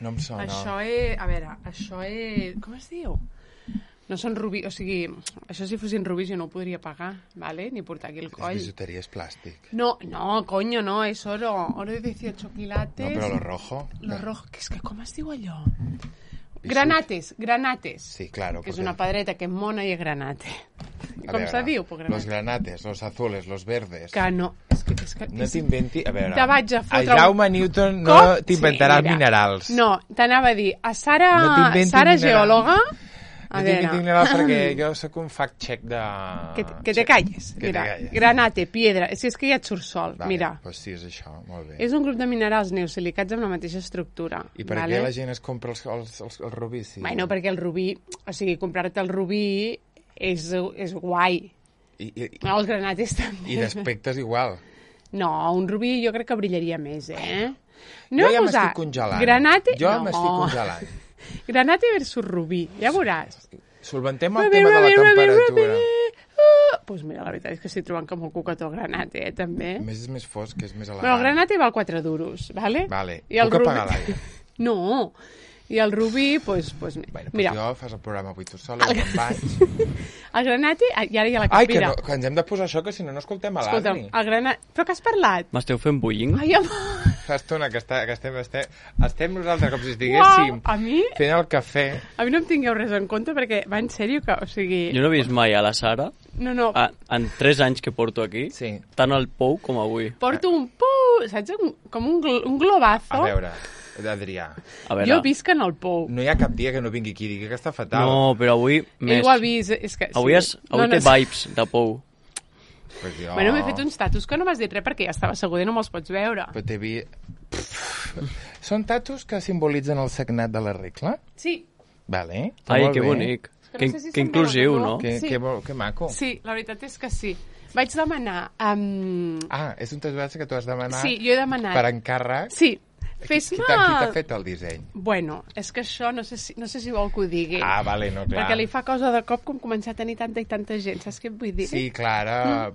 No em sona. A veure, això és... Com es diu? No són rubis, o sigui, això si fossin rubis jo no ho podria pagar, ¿vale? Ni portar aquí el coll. És bisuteria, és plàstic. No, coño, no, és oro. Oro de 18 quilates. No, però lo rojo... Lo rojo, que és que com es diu allò? Granates. Sí, claro. Que és una pedreta que és mona i és granate. Com se diu? Los granates, los azules, los verdes... Que no, és que no t'inventi... A veure, te vaig a fotre... A Jaume Newton no t'inventaràs minerals. No, t'anava a dir, a Sara, no Sara geòloga... No t'inventi minerals perquè jo sóc un fact-check de... Que te calles. Mira, granate, piedra... Si és que ja et surt sol, vale, mira. Doncs sí, és això, molt bé. És un grup de minerals neosilicats amb la mateixa estructura. I per què la gent es compra els rubis? Sí? Bueno, perquè el rubí... O sigui, comprar-te el rubí és guai. Els granates també. I d'aspecte és igual. No, un rubí jo crec que brillaria més, No jo ja m'estic congelant. Granate... Jo m'estic congelant. Granate versus rubí, ja veuràs. Solventem el tema de la temperatura. Doncs mira, la veritat és que estic trobant que molt cucató el granate, també. A més és més fosc, és més elegant. Però el granate val 4 duros, ¿vale? Vale, puc apagar l'aire. No, i el rubí, doncs bueno, mira. Jo fas el programa avui tu sola, jo me'n vaig. El granate, i ara ja la capira. Ai, que ens hem de posar això, que si no escoltem a l'Adri. Escolta'm, el granate... Però que has parlat? M'esteu fent bullying? Ai, amor. Fa estona que estem nosaltres com si estiguéssim fent el cafè. A mi no em tingueu res en compte perquè va en sèrio que, o sigui... Jo no he vist mai a la Sara, en 3 anys que porto aquí, tant al pou com avui. Porto un pou, saps? Com un globazo. A veure, Adrià. Jo visc en el pou. No hi ha cap dia que no vingui aquí i digui que està fatal. No, però avui més. Ell ho ha vist, és que... Avui té vibes de pou. Pues jo... Bueno, m'he fet uns tatus que no m'has dit res perquè ja estava asseguda i no me'ls pots veure. Però t'he vist... Són tatus que simbolitzen el sagnat de la regla? Sí. Vale. Ai, que bonic. Que inclusiu, no? Que maco. Sí, la veritat és que sí. Vaig demanar... És un tatuatge que tu has demanat... Sí, jo he demanat... Per encàrrec? Sí. Qui t'ha fet el disseny? Bueno, és que això no sé si vol que ho digui. Vale, no, clar. Perquè li fa cosa de cop com començar a tenir tanta i tanta gent, saps què et vull dir? Sí, clar,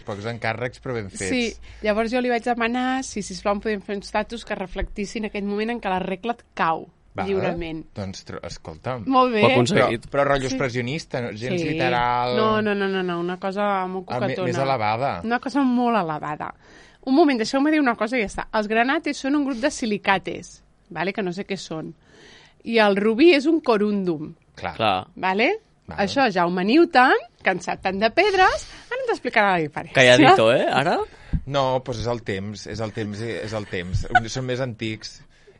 pocs encàrrecs però ben fets. Sí, llavors jo li vaig demanar si sisplau em podien fer uns tatus que reflectissin aquell moment en què la regla et cau. Lliurement. Doncs, escolta'm. Molt bé. Ho ha aconseguit. Però rotllo expressionista, gens literal... No, una cosa molt cucatona. Més elevada. Una cosa molt elevada. Un moment, deixeu-me dir una cosa i ja està. Els granates són un grup de silicates, vale? Que no sé què són. I el rubí és un corundum. Clar. Vale? Això, Jaume Newton, cansat tant de pedres, ara ens explicarà la diferència. Calladito, ara? No, doncs és el temps. Són més antics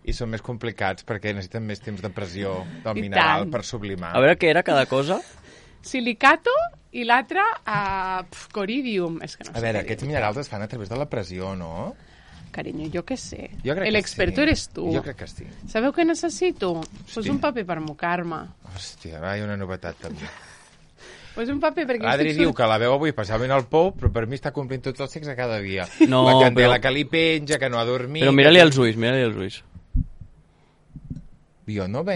i són més complicats perquè necessiten més temps de pressió del mineral per sublimar. A veure què era cada cosa. Silicato i l'altre coridium. És que no sé. A veure, aquests minerals es fan a través de la pressió, no? Carinyo, jo què sé. L'experto eres tu. Jo crec que sí. Sabeu què necessito? Pues un paper per mocar-me. Hòstia, hi ha una novetat també. Pues un paper perquè... L'Adri diu que la veu avui especialment al pou, però per mi està complint tots els sexe cada dia. No, la candela que li penja, que no ha dormit... Però mira-li els ulls, Jo no ve...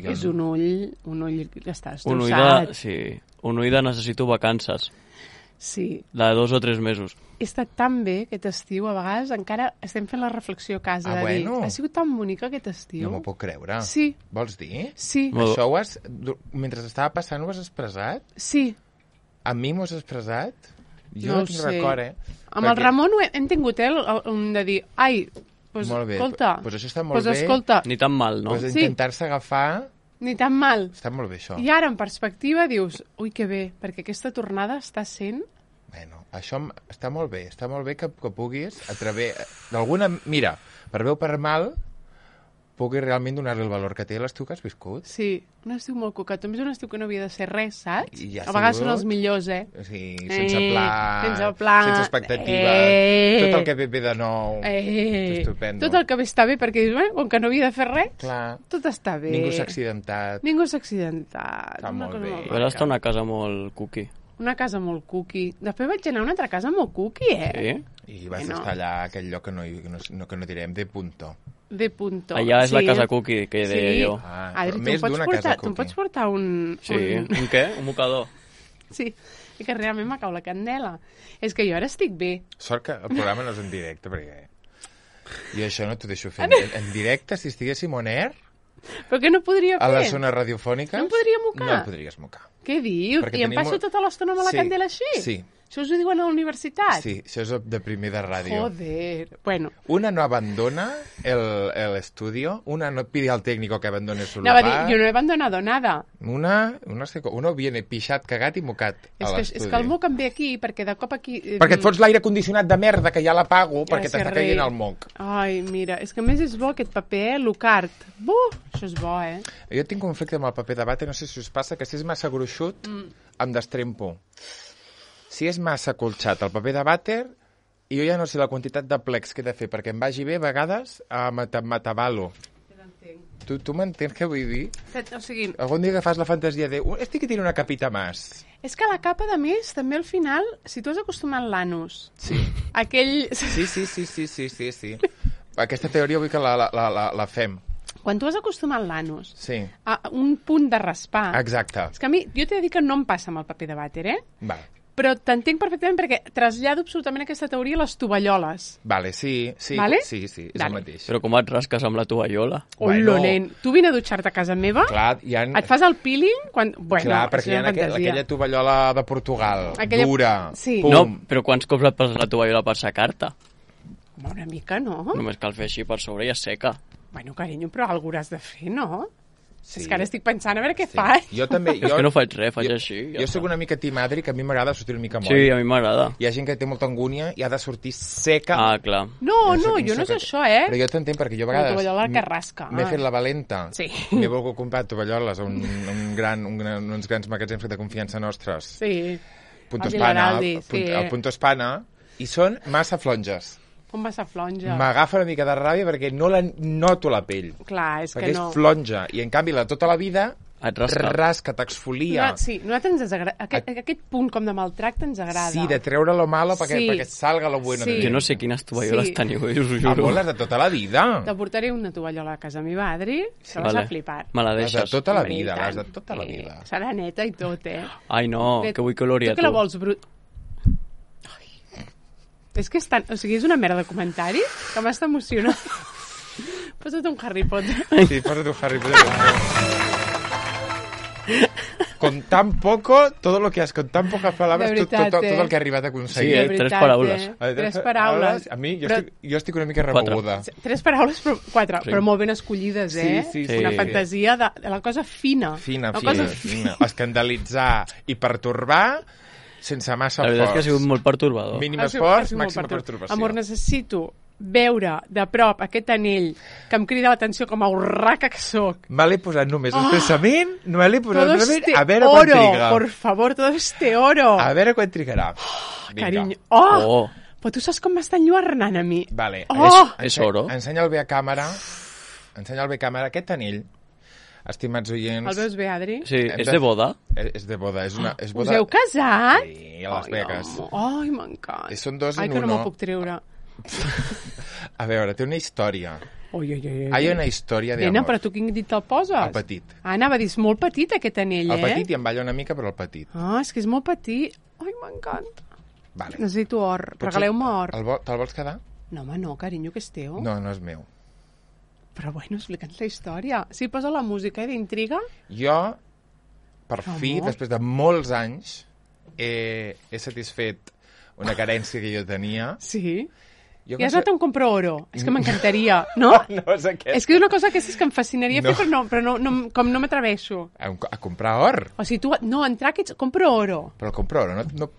És un ull que està estrossat. Un ull de necessito vacances. Sí. De 2 o 3 mesos. He estat tan bé aquest estiu, a vegades encara estem fent la reflexió a casa de dir, ha sigut tan bonic aquest estiu. No m'ho puc creure. Sí. Vols dir? Sí. Això mentre estava passant ho has expressat? Sí. A mi m'ho has expressat? Jo no tinc record, Amb el Ramon hem tingut un de dir, ai, pues, molt bé. Escolta. Pues això està molt bé. Escolta. Ni tan mal, no? Pues intentar-se agafar... Ni tan mal. Està molt bé, això. I ara, en perspectiva, dius, ui, que bé, perquè aquesta tornada està sent... Bueno, això està molt bé que puguis, a través d'alguna... Mira, per bé o per mal, pugui realment donar-li el valor que té l'estiu que has viscut. Sí, un estiu molt cucat. A més, un estiu que no havia de ser res, saps? Ja a vegades són els millors, Sí, sense pla, sense expectativa, tot el que ve de nou, estupendo. Tot el que ve està bé, perquè dius, com que no havia de fer res, clar, tot està bé. Ningú s'ha accidentat. Està molt bé. Però està una casa molt cookie. Una casa molt cookie. Després vaig anar a una altra casa molt cookie, Sí? I vas estar allà a aquell lloc que no direm, de punto. De punto. Allà és la casa cookie, que deia jo. Adri, tu em pots portar un... Sí, un què? Un mocador. Sí, i que realment m'acau la candela. És que jo ara estic bé. Sort que el programa no és en directe, perquè... I això no t'ho deixo fer en directe, si estiguéssim on air... Però què no podria fer? A les zones radiofòniques... No em podria mocar? No el podries mocar. Què dius? I em passo tota l'estona amb la candela així? Sí. Això us ho diuen a la universitat? Sí, això és de primer de ràdio. Joder. Bueno. Una no abandona el estudio, una no pide al técnico que abandone su lugar. Yo no he abandonado nada. Uno viene pixat, cagat i mocat a l'estudi. És que el moc em ve aquí, perquè de cop aquí... Perquè et fots l'aire condicionat de merda, que ja l'apago, perquè t'està caient el moc. Ai, mira, és que a més és bo aquest paper, l'Ucart. Això és bo, Jo tinc conflicte amb el paper de vàter, no sé si us passa, que si és massa gruixut, em destrempo. Si és massa colxat el paper de vàter, jo ja no sé la quantitat de plecs que he de fer, perquè em vagi bé, a vegades, m'atabalo. Tu m'entens què vull dir? O sigui... Algun dia que fas la fantasia de... Estic que tiene una capita más. És que la capa, de més, també al final, si tu has acostumat l'anus... Sí. Aquell... Sí. Aquesta teoria vull que la fem. Quan tu has acostumat l'anus a un punt de raspar... Exacte. És que a mi, jo t'he de dir que no em passa amb el paper de vàter, Va. Però t'entenc perfectament perquè trasllado absolutament aquesta teoria a les tovalloles. Vale, sí, vale? Sí, és el mateix. Però com et rasques amb la tovallola? Bueno, nen, tu vine a dutxar-te a casa meva, clar, et fas el peeling... Clar, perquè hi ha aquella tovallola de Portugal, dura, pum. No, però quants cops et passes la tovallola per secar-te? Una mica, no? Només cal fer així per sobre i es seca. Bueno, carinyo, però alguna has de fer, no? Sí. És que ara estic pensant a veure què faig. Jo també... És que no faig res, faig així. Jo soc una mica team Adri, que a mi m'agrada sortir una mica moll. Sí, a mi m'agrada. Hi ha gent que té molta angúnia i ha de sortir seca. Ah, clar. No, jo no és això, Però jo t'entenc, perquè jo a vegades... La tovallola que rasca. M'he fet la valenta. Sí. M'he volgut comprar tovalloles a uns grans magatzems de confiança nostres. Sí. Punto Espana, el Punto Espana, i són massa flonges. Com massa flonja? M'agafa una mica de ràbia perquè no noto la pell. Clar, és perquè que no. És flonja. I en canvi, tota la vida et rasca, t'exfolia. Sí, nosaltres ens agrada. Aquest punt com de maltracte ens agrada. Sí, de treure lo malo perquè salga lo bueno. Jo no sé quines tovalloles teniu, us ho juro. Les de tota la vida. Te portaré una tovallola a casa meva, Adri, que vas a flipar. Me la deixes. Les de tota la vida, les de tota la vida. Serà neta i tot, Ai, no, que vull que l'Ori a tu. Tu que la vols brut... És que és una merda de comentari que m'està emocionant. Posa't un Harry Potter. Sí, posa't un Harry Potter. Con tan poco, todo lo que has, con tan pocas palabras, tot el que ha arribat a aconseguir. Sí, 3 paraules. 3 paraules. A mi, jo estic una mica remoguda. 3 paraules, però 4, però molt ben escollides, Sí. Una fantasia de la cosa fina. Fina. Escandalitzar i pertorbar sense massa forç. La veritat és que ha sigut molt pertorbador. Mínim esforç, màxima pertorbació. Amor, necessito veure de prop aquest anell que em crida l'atenció com a urraca que soc. Me l'he posat només el pensament, a veure quan triga. Por favor, todo este oro. A veure quan trigarà. Carinyo. Però tu saps com m'estan lluernant a mi. Vale. És oro. Ensenya el bé a càmera. Aquest anell. Estimats oients... El veus bé, Adri? Sí, és de boda? És de boda, és boda... Us heu casat? Sí, a Las Vegas. Ai, m'encanta. Són 2 en 1. Ai, que no me'l puc treure. A veure, té una història. Hi ha una història d'amor. Nena, però tu quin dit te'l poses? El petit. Anava a dir, és molt petit aquest anell, El petit i em balla una mica, però el petit. És que és molt petit. Ai, m'encanta. Vale. Necessito or. Regaleu-me or. Te'l vols quedar? No, home, no, carinyo, que és teu. No, no és meu. Però bueno, explica'ns la història. Sí, posa la música d'intriga. Jo, per fi, després de molts anys, he satisfet una carència que jo tenia. Sí? I has anat a un compro oro. És que m'encantaria, no? No és aquest. És que és una cosa que em fascinaria fer, però com no m'atreveixo. A comprar or? O sigui, entrar aquí, compro oro. Però compro oro, no...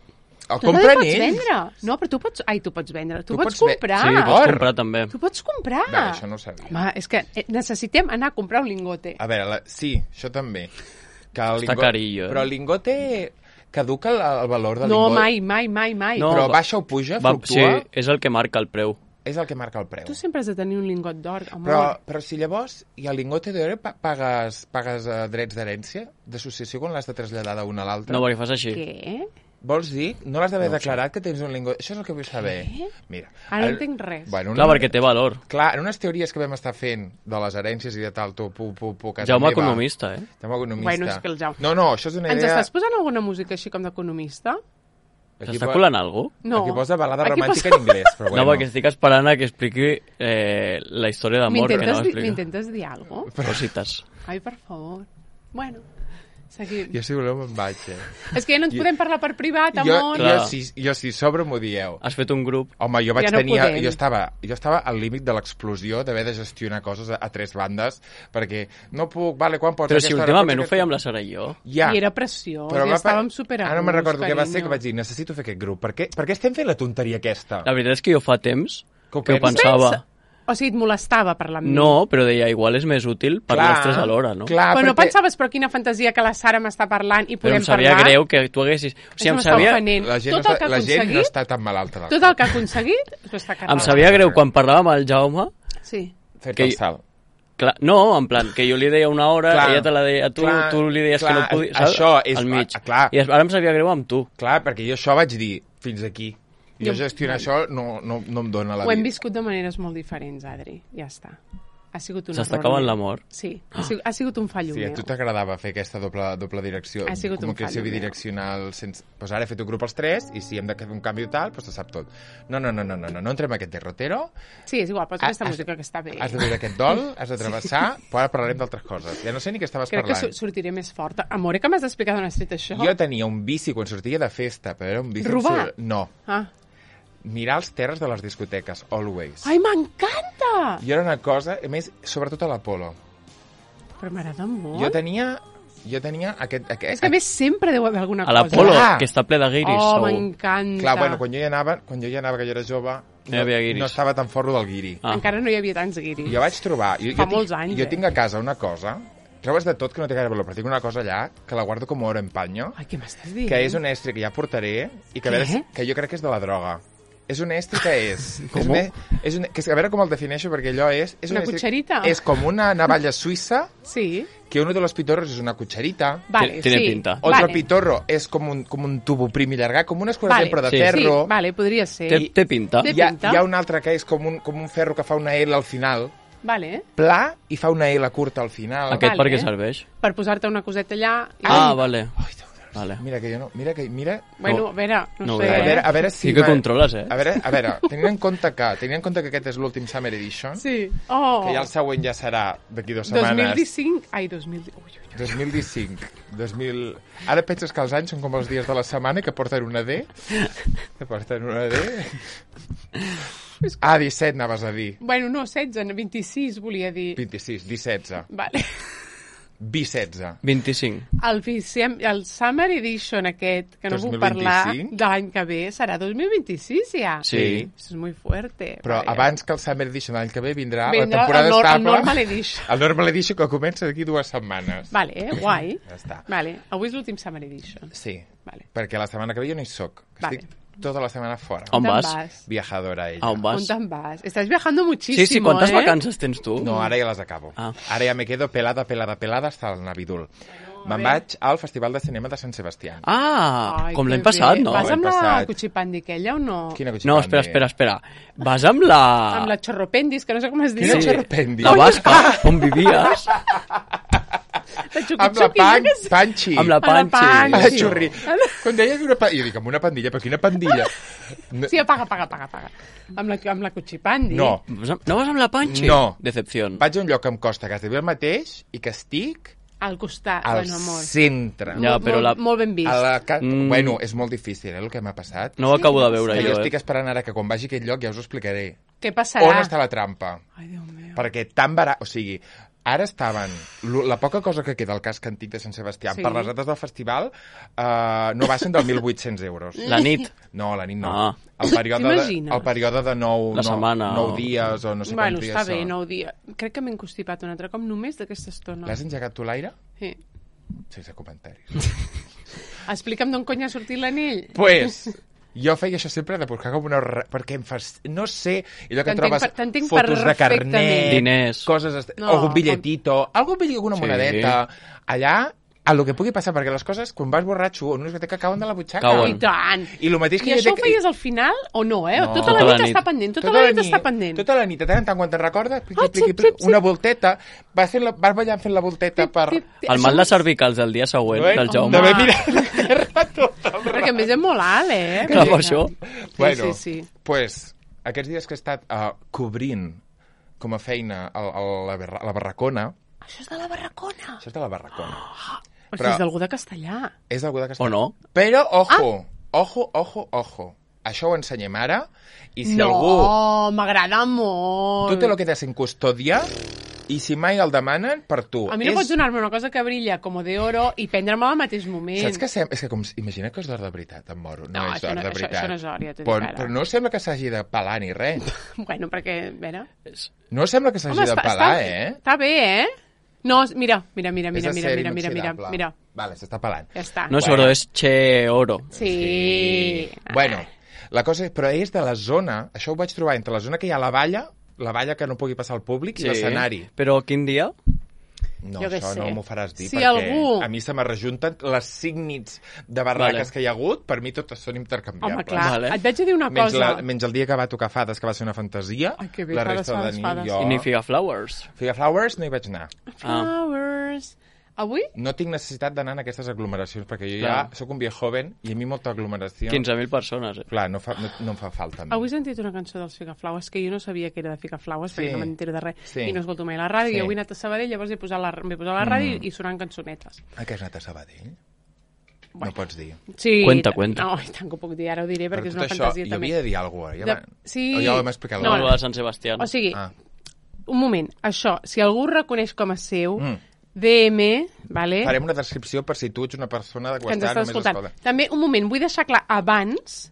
Tu també pots vendre. No, però tu pots vendre. Tu pots comprar. Sí, pots comprar també. Tu pots comprar. Va, això no ho sabia. Home, és que necessitem anar a comprar un lingote. A veure, sí, això també. Està carillo. Però el lingote caduca el valor del lingote. No, mai. No, però baixa o puja, fluctua. Sí, és el que marca el preu. És el que marca el preu. Tu sempre has de tenir un lingot d'or, amor. Però si llavors, i el lingote d'or pagues drets d'herència d'associació quan l'has de traslladar d'una a l'altra? No, perquè fas així. Què? Vols dir? No l'has d'haver declarat que tens un lingot... Això és el que vull saber. Mira, ara no entenc res. Clar, perquè té valor. Clar, en unes teories que vam estar fent de les herències i de tal, Jaume economista, Jaume economista. Bueno, és que el Jaume... No, això és una idea... Ens estàs posant alguna música així com d'economista? S'està colant algú? No. Aquí posa balada romàntica en anglès, però bueno. No, perquè estic esperant a que expliqui la història d'amor que no explica. M'intentes dir alguna cosa? Cositas. Ai, per favor. Bueno, seguim. Jo, si voleu, me'n vaig, És que ja no ens podem parlar per privat, amor. Jo si sobre m'ho dieu. Has fet un grup. Home, jo vaig tenir... Jo estava al límit de l'explosió d'haver de gestionar coses a 3 bandes, perquè no puc... Vale, quan pots... Però si últimament ho fèiem la Sara i jo. Ja. I era preciós, i estàvem superant. Ara no me'n recordo què va ser, que vaig dir, necessito fer aquest grup. Per què estem fent la tonteria aquesta? La veritat és que jo fa temps que ho pensava... O sigui, et molestava parlar amb mi? No, però deia, igual és més útil parlar els 3 alhora, no? Clar, però no pensaves, però quina fantasia que la Sara m'està parlant i podem parlar? Però em sabia greu que tu haguessis... O sigui, em sabia... La gent no està tan malalta. Tot el que ha aconseguit s'ho està carregant. Em sabia greu quan parlàvem amb el Jaume... Sí. Fer-te el salt. Clar, no, en plan, que jo li deia una hora, ella te la deia a tu, tu li deies que no podies... Això és... Al mig. Clar. I ara em sabia greu amb tu. Clar, perquè jo això vaig dir fins aquí. Jo gestionar això no em dóna la vida. Ho hem viscut de maneres molt diferents, Adri. Ja està. Ha sigut un error. S'està acabant l'amor? Sí, ha sigut un fallo meu. Sí, a tu t'agradava fer aquesta doble direcció. Ha sigut un fallo comunicació bidireccional. Pues ara he fet un grup als 3 i si hem de fer un canvi tal, pues se sap tot. No entrem en aquest derrotero. Sí, és igual, pots aquesta música que està bé. Has de veure aquest dol, has de travessar, però ara parlarem d'altres coses. Ja no sé ni què estaves parlant. Crec que sortiré més forta. Amore, que m'has d'explicar d'on has tret això? Jo tenia un vici quan sortia de festa, però era un vici... Robar? No. Mirar els terres de les discoteques, always. Ai, m'encanta! I era una cosa, a més, sobretot a l'Apolo. Però m'agrada molt. Jo tenia aquest... És que a més sempre deu haver alguna cosa. A l'Apolo, que està ple de guiris. Oh, m'encanta. Clar, bueno, quan jo hi anava, que jo era jove, no estava tan forro del guiri. Encara no hi havia tants guiris. Jo vaig trobar... Fa molts anys, Jo tinc a casa una cosa... Trobes de tot que no té gaire valor, però tinc una cosa allà que la guardo com oro en panyo. Ai, què m'estàs dient? Que és un estri que ja portaré i que, que jo crec que és de la droga. És un estri que és... Com? A veure com el defineixo, perquè allò és... Una cucharita? És com una navalla suïssa, sí. Que uno de los pitorros és una cucharita. Vale, tiene pinta. Otro pitorro és com un tubo prim i llargat, com unes coses sempre de ferro. Sí, vale, podria ser. Té pinta. Té pinta. Hi ha un altre que és com un ferro que fa una L al final. Vale. Pla i fa una L curta al final. Aquest per què serveix? Per posar-te una coseta allà. Vale. Vale. Mira que jo no... Mira... Bueno, a veure, no sé. A veure si... Sí que controles, A veure, tenint en compte que aquest és l'últim Summer Edition, sí. Que ja el següent ja serà d'aquí 2 setmanes. 2015... Ai, 2015. Ara penses que els anys són com els dies de la setmana que porten una D? Que porten una D? 17 anaves a dir. Bueno, no, 16, 26 volia dir. 26, 17. Vale. 16. 25. El Summer Edition aquest, que no 2025? Puc parlar de l'any que ve, serà 2026 ja? Sí. Eso es muy fuerte. Però abans que el Summer Edition l'any que ve vindrà la temporada estable. El Normal Edition. El Normal Edition que comença d'aquí 2 setmanes. Vale, guai. Ja està. Vale, avui és l'últim Summer Edition. Sí, vale. Perquè la setmana que ve jo no hi soc. Vale. Estic tota la setmana fora. On vas? Viajadora, ella. On vas? On te'n vas? Estàs viajando muchísimo, Sí, quantes vacances tens tu? No, ara ja les acabo. Ara ja me quedo pelada hasta el Navidul. Me'n vaig al Festival de Cinema de Sant Sebastià. Com l'any passat, no? Vas amb la cuchipandi aquella o no? Quina cuchipandi? No, espera. Vas amb la... Amb la chorropendis, que no sé com es diu. Quina chorropendis? La basca, on vivies. Amb la Panchi. Amb la Panchi. La xurri. Quan deies una pandilla, jo dic, amb una pandilla, però quina pandilla? Sí, apaga. Amb la cuchipandi. No. No vas amb la Panchi? No. Decepción. Vaig a un lloc que em costa quasi el mateix i que estic... Al costat, al centre. Ja, però molt ben vist. Bueno, és molt difícil, el que m'ha passat. No ho acabo de veure jo. Jo estic esperant ara que quan vagi a aquest lloc ja us ho explicaré. Què passarà? On està la trampa? Ai, Déu meu. Perquè tan barat... O sigui, ara estaven... La poca cosa que queda al casc antic de Sant Sebastià per les dates del festival no baixen dels 1.800 euros. La nit? No, la nit no. El període de 9 dies o no sé quants dies. Bueno, està bé, 9 dies. Crec que m'he encostipat un altre cop només d'aquesta estona. L'has engegat tu, l'aire? Sí. Sense comentaris. Explica'm d'on cony ha sortit l'anell. Pues... Jo feia això sempre de buscar com una... Perquè em fas... No sé... Allò que trobes fotos de carnet... Diners... Coses... Algun bitlletito... Alguna monedeta... Allà a lo que pugui passar, perquè les coses, quan vas borratxo o no és que cauen de la butxaca. I tant. I el mateix que I això ho feies al final o no, eh? No. Tota la nit està pendent, tota la nit està pendent. Tota la nit, de tant en tant, quan te'n recordes, una volteta, vas ballant fent la volteta per... El mal de cervicals el dia següent del Jaume. D'haver mirat la terra tot el rato. Perquè a més és molt alt, eh? Clar, per això. Bueno, pues, aquests dies que he estat cobrint com a feina a la Barracona... Això és de la Barracona? Això és de la Barracona. O sigui, és d'algú de Castellà. És d'algú de Castellà. O no? Però, ojo. Això ho ensenyem ara, i si algú... No, m'agrada molt. Tu te lo quedes en custòdia, i si mai el demanen, per tu. A mi no pots donar-me una cosa que brilla com de oro i prendre-me al mateix moment. Saps què és que com... Imagina que és d'or de veritat, em moro. No és d'or de veritat. Això no és or, ja t'ho dic ara. Però no sembla que s'hagi de pelar ni res. Bueno, perquè, a veure... No sembla que s'hagi de pelar, Està bé, eh? No, mira. Vale, s'està pelant. Ja està. No és oro, és che oro. Sí. Bueno, la cosa és... Però és de la zona... Això ho vaig trobar entre la zona que hi ha la valla que no pugui passar al públic i l'escenari. Però quin dia? No, això no m'ho faràs dir, si perquè a mi se me rejunten les 5 nits de barraques que hi ha hagut, per mi totes són intercanviables. Home, clar, et vaig a dir una cosa. Menys el dia que va tocar Fades, que va ser una fantasia, la resta de nit jo... I ni Figaflowers. Figaflowers no hi vaig anar. Flowers... Avui? No tinc necessitat d'anar en aquestes aglomeracions, perquè jo ja sóc un viejo joven i a mi molta aglomeració... 15.000 persones, Clar, no em fa falta. Avui he sentit una cançó dels Figaflowers, que jo no sabia que era de Figaflowers, perquè no m'entero de res, i no escolto mai la ràdio, i avui he anat a Sabadell, llavors he posat la ràdio i sonant cançonetes. Que has anat a Sabadell? No pots dir. Sí. Cuenta. No, i tant que ho puc dir, ara ho diré, perquè és una fantasia també. Jo havia de dir alguna cosa. Sí. O ja ho hem explicat. No, de Sant Sebastià. O sigui, un moment, això, si algú reconeix com a seu... DM, vale? Farem una descripció per si tu ets una persona de que està només escolta. També, un moment, vull deixar clar abans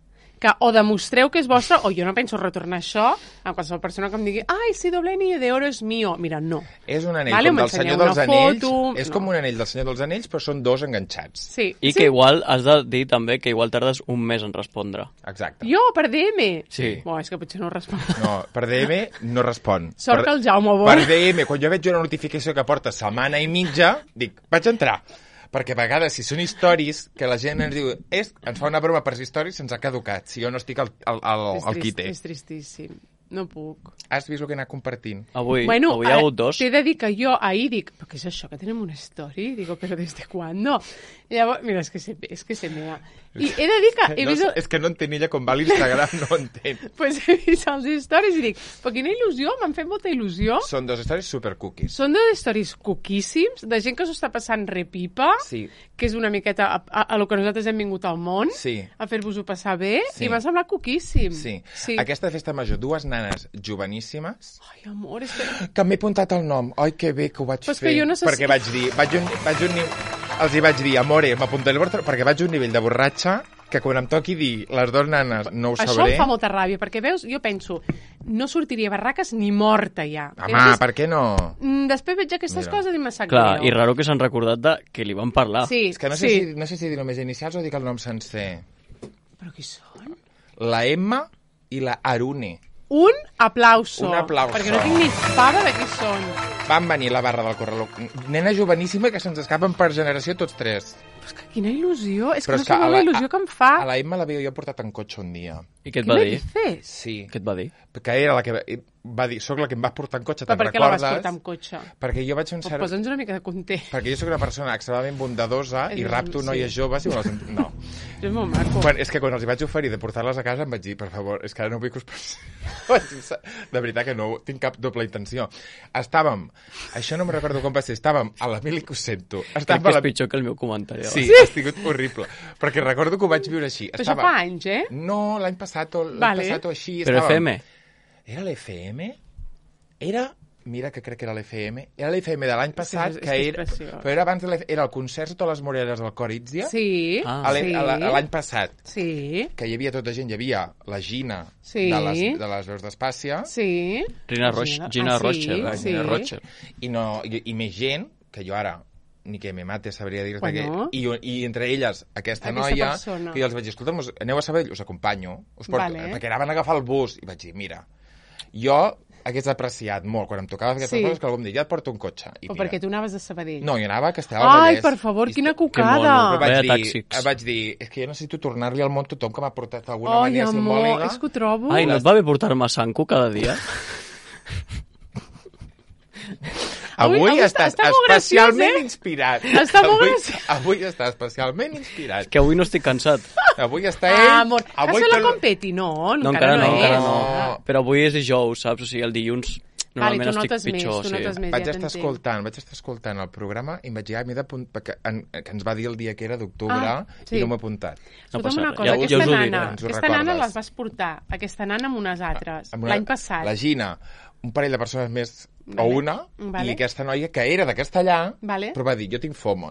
que o demostreu que és vostre o jo no penso retornar això a qualsevol persona que em digui si doble anillo de oro és mío. Mira, no. És un anell com del Senyor dels Anells. És com un anell del Senyor dels Anells, però són dos enganxats. Sí. I que igual has de dir també que igual tardes un mes en respondre. Exacte. Jo, per DM? Sí. És que potser no respon. No, per DM no respon. Sort que el Jaume vol. Per DM, quan jo veig una notificació que porta setmana i mitja, dic, vaig entrar. Perquè a vegades, si són històries, que la gent ens diu, ens fa una broma per històries, se'ns ha caducat, si jo no estic al quite. És tristíssim. No puc. Has vist el que he anat compartint? Avui hi ha hagut dos. T'he de dir que jo ahir dic, però què és això, que tenim una story? Digo, però des de quan? No. Llavors, mira, és que se mea. I he de dir que he vist... És que no entén ella com va l'Instagram, no entén. Pues he vist els stories i dic, però quina il·lusió, m'han fet molta il·lusió. Són dos stories supercookies. Són dos stories cookíssims, de gent que s'ho està passant repipa, que és una miqueta a lo que nosaltres hem vingut al món, a fer-vos-ho passar bé, i m'ha semblat cookíssim. Sí. Aquesta festa major, dues nanes joveníssimes... Ai, amor, és que m'he apuntat el nom. Ai, que bé que ho vaig fer. Que jo no sé perquè vaig dir... Els hi vaig dir, amore, m'apuntaré el vostre... Perquè vaig a un nivell de borratxa que quan em toqui dir les dues nanes no ho sabré... Això em fa molta ràbia, perquè veus, jo penso, no sortiria barraques ni morta ja. Home, per què no? Després veig aquestes coses i me sap Clar, i raro que s'han recordat de que li van parlar. Sí, és que no sé si dir només inicials o dic el nom sencer. Però qui són? La Emma i la Arune. Un aplauso. Un aplauso. Perquè no tinc ni fava de qui són. Van venir a la barra del Corraló. Nena joveníssima que se'ns escapen per generació tots tres. Però és que quina il·lusió. És que no sabeu la il·lusió que em fa. A la Emma l'havia jo portat en cotxe un dia. I què et va dir? Sí. Què et va dir? Que era la que va dir, soc la que em vas portar en cotxe, te'n recordes? Però per què la vas portar en cotxe? Perquè jo vaig fer un cert... Posa'ns una mica de context. Perquè jo sóc una persona extremadament bondadosa i rapto noies joves i me les... No. És molt maco. És que quan els hi vaig oferir de portar-les a casa em vaig dir, per favor, és que ara no vull que us passi. De veritat que no tinc cap doble intenció. Estàvem, això no me recordo com va ser, estàvem a l'Emili que ho sento. Crec que és pitjor que el meu comentari. Sí, ha sigut horrible. Perquè recordo que ho vaig viure així. Però això fa anys, eh? No, l'any passat o així. Però FM? Era l'FM? Mira que crec que era l'FM. Era l'FM de l'any passat, que era... Però era abans de l'FM. Era el concert de les Moreres del Cor Itzia. Sí. L'any passat. Sí. Que hi havia tota gent. Hi havia la Gina de les veus d'Espàcia. Sí. Gina Rocher. Gina Rocher. I més gent, que jo ara ni que me mate sabria dir-te i entre elles aquesta noia que jo els vaig dir, escolta, aneu a Sabadell, us acompanyo perquè anaven a agafar el bus i vaig dir, mira, jo hagués apreciat molt quan em tocava fer aquestes coses que algú em digui, ja et porto un cotxe. O perquè tu anaves a Sabadell. No, jo anava a Castellar. Ai, per favor, quina cucada! Vaig dir, és que jo necessito tornar-li al món tothom que m'ha portat d'alguna manera simbòlica. Ai, amor, és que ho trobo. Ai, no et va bé portar-me Sanco cada dia? Avui estàs especialment inspirat. Està molt graciós. Avui està especialment inspirat. És que avui no estic cansat. Avui està ell... Amor, has fet la competi? No, encara no. Però avui és dijous, saps? O sigui, el dilluns normalment estic pitjor. Vaig estar escoltant el programa i em vaig dir, que ens va dir el dia que era d'octubre i no m'he apuntat. No passa res. Aquesta nana les vas portar, aquesta nana amb unes altres, l'any passat. La Gina, un parell de persones més o una, i aquesta noia que era de Castellà, però va dir, jo tinc FOMO.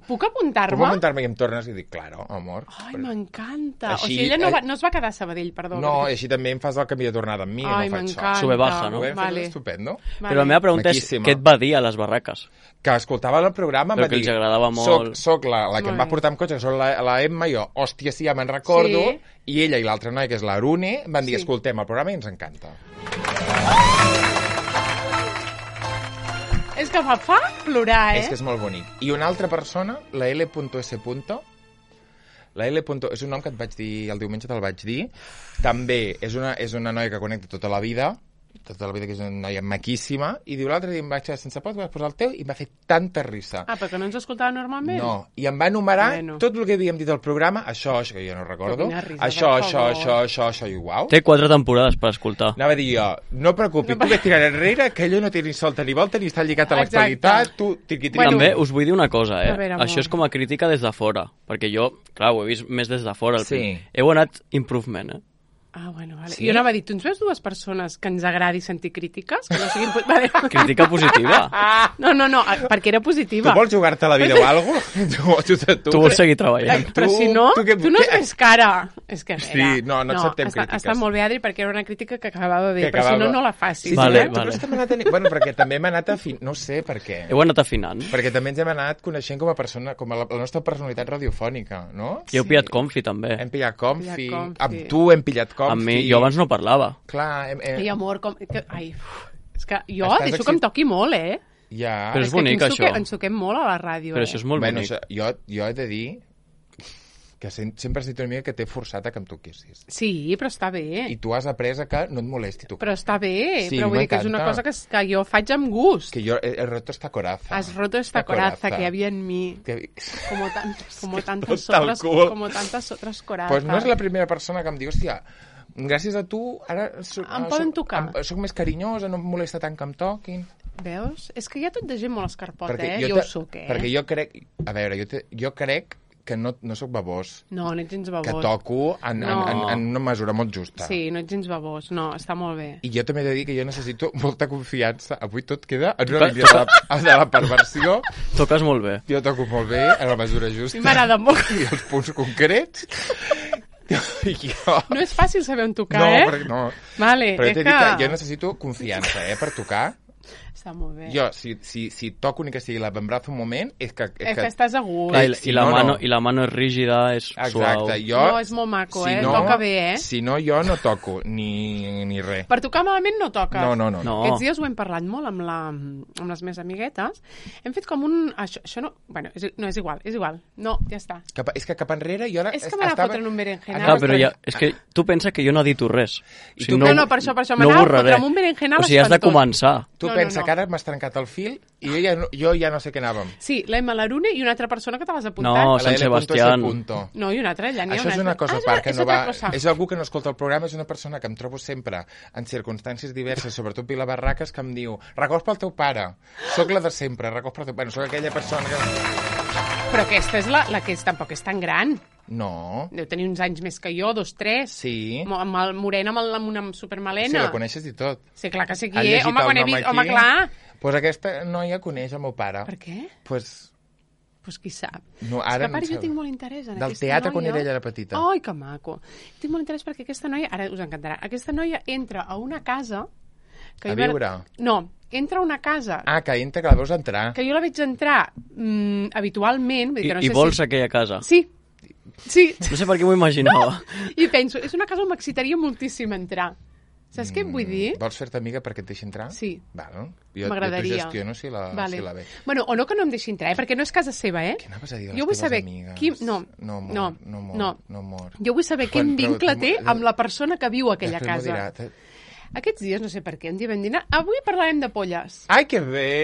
Puc apuntar-me? Puc apuntar-me i em tornes i dic, claro, amor. Ai, m'encanta. O sigui, ella no es va quedar a Sabadell, perdó. No, i així també em fas el canvi de tornada amb mi. Ai, m'encanta. Sube baja, no? Estupendo. Però la meva pregunta és, què et va dir a les barraques? Que escoltava el programa, però que els agradava molt. Soc la que em va portar amb cotxe, que soc la Emma, jo, hòstia, sí, ja me'n recordo, i ella i l'altra noia, que és l'Arune, van dir, escoltem el programa i ens encanta. És que fa plorar, És que és molt bonic. I una altra persona, la L.S. La L. És un nom que et vaig dir, el diumenge te'l vaig dir. També és una noia que connecta tota la vida, que és una noia maquíssima, i diu l'altre dia em vaig quedar sense pot, vas posar el teu i m'ha fet tanta risa. Ah, perquè no ens escoltava normalment? No, i em va enumerar tot el que havíem dit al programa, això, que jo no recordo, això, i uau. Té 4 temporades per escoltar. Anava a dir jo, no preocupis, tu ves tirant enrere, que allò no té ni solta ni volta, ni està lligat a l'actualitat, tu tiqui-tiqui. També us vull dir una cosa, això és com a crítica des de fora, perquè jo, clar, ho he vist més des de fora. Heu anat improvement, Ah, bueno, vale. Sí? Jo anava a dir, tu ens veus dues persones que ens agradi sentir crítiques? Que no siguin... Vale. Crítica positiva? No, perquè era positiva. Tu vols jugar-te la vida o alguna cosa? Tu vols seguir treballant. Però si no, tu no és més cara. És que, sí, no acceptem crítiques. Està molt bé, Adri, perquè era una crítica que acabava bé, però si no la facis. Sí, vale. Bueno, perquè també hem anat afinant, no sé per què. Heu anat afinant. Perquè també ens hem anat coneixent com a persona, com a la nostra personalitat radiofònica, no? I heu pillat confi, també. Hem pillat confi. Amb tu hem pillat confi. Amb mi, jo abans no parlava. Clar, Ai, amor, ai, és que jo deixo que em toqui molt, Ja. Però és bonic, això. Ens toquem molt a la ràdio, Però això és molt bonic. Jo he de dir que sempre has dit una mica que t'he forçat a que em toquessis. Sí, però està bé. I tu has après que no et molesti tocar. Però està bé, però vull dir que és una cosa que jo faig amb gust. Que yo he roto esta coraza. Has roto esta coraza que había en mí. Como tantas otras corazas. Pues no és la primera persona que em diu, hòstia, gràcies a tu ara em poden tocar. Soc més carinyosa, no em molesta tant que em toquin. Veus? És que hi ha tot de gent molt escarpota, jo ho soc, Perquè jo crec... A veure, jo crec que no soc babós. No ets gens babós. Que toco en una mesura molt justa. Sí, no ets gens babós. No, està molt bé. I jo també he de dir que jo necessito molta confiança. Avui tot queda en una línia de la perversió. Toques molt bé. Jo toco molt bé, en la mesura justa. M'agrada molt. I els punts concrets... No és fàcil saber on tocar, No. Vale, però t'he dit que jo necessito confiança, per tocar. Està molt bé. Jo, si toco ni que sigui l'avantbraç un moment, és que estàs a gust. I la mano és rígida, és suau. No, és molt maco, toca bé, Si no, jo no toco, ni res. Per tocar malament no toques. No. Aquests dies ho hem parlat molt amb les meves amiguetes. Hem fet com un... Això no... Bueno, no, és igual. No, ja està. És que cap enrere jo ara... És que m'ha fotre'n un berenjenal. Clar, però és que tu pensa que jo no edito res. No, per això m'anava a fotre amb un berenjenal espantós. O sigui, has de començar. Tu pensa que ara m'has trencat el fil i jo ja no sé què anàvem. Sí, l'Emma Larune i una altra persona que te l'has apuntat. No, Sant Sebastián. No, i una altra, ja n'hi ha una altra. Això és una cosa a part, que no va... És algú que no escolta el programa, és una persona que em trobo sempre en circumstàncies diverses, sobretot Vila Barraques, que em diu, records pel teu pare. Soc la de sempre, records pel teu pare. Soc aquella persona que... Però aquesta és la que tampoc és tan gran. No. Deu tenir uns anys més que jo, 2, 3. Sí. Amb el morena, amb una supermalena. Sí, la coneixes i tot. Sí, clar que sí qui és. Home, quan he vist... Home, clar. Pues aquesta noia coneix el meu pare. Per què? Pues qui sap. No, ara és que a part jo tinc molt interès en del aquesta teatre noia. quan ella era petita. Ai, que maco. Tinc molt interès perquè aquesta noia, ara us encantarà, aquesta noia entra a una casa... A viure? No, entra a una casa... Ah, que entra, que la veus entrar. Que jo la veig entrar habitualment. Vull dir que no sé vols aquella casa? Sí. No sé per què m'ho imaginava. I penso, és una casa on m'excitaria moltíssim entrar. Saps què et vull dir? Vols fer-te amiga perquè et deixi entrar? Sí. Val. Jo t'ho gestiono si la ve. Bueno, o no que no em deixi entrar, perquè no és casa seva, Què anaves a dir de les teves amigues? No, amor. Jo vull saber quin vincle té amb la persona que viu a aquella casa. Aquests dies, no sé per què, un dia vam dinar, avui parlarem de polles. Ai, que bé!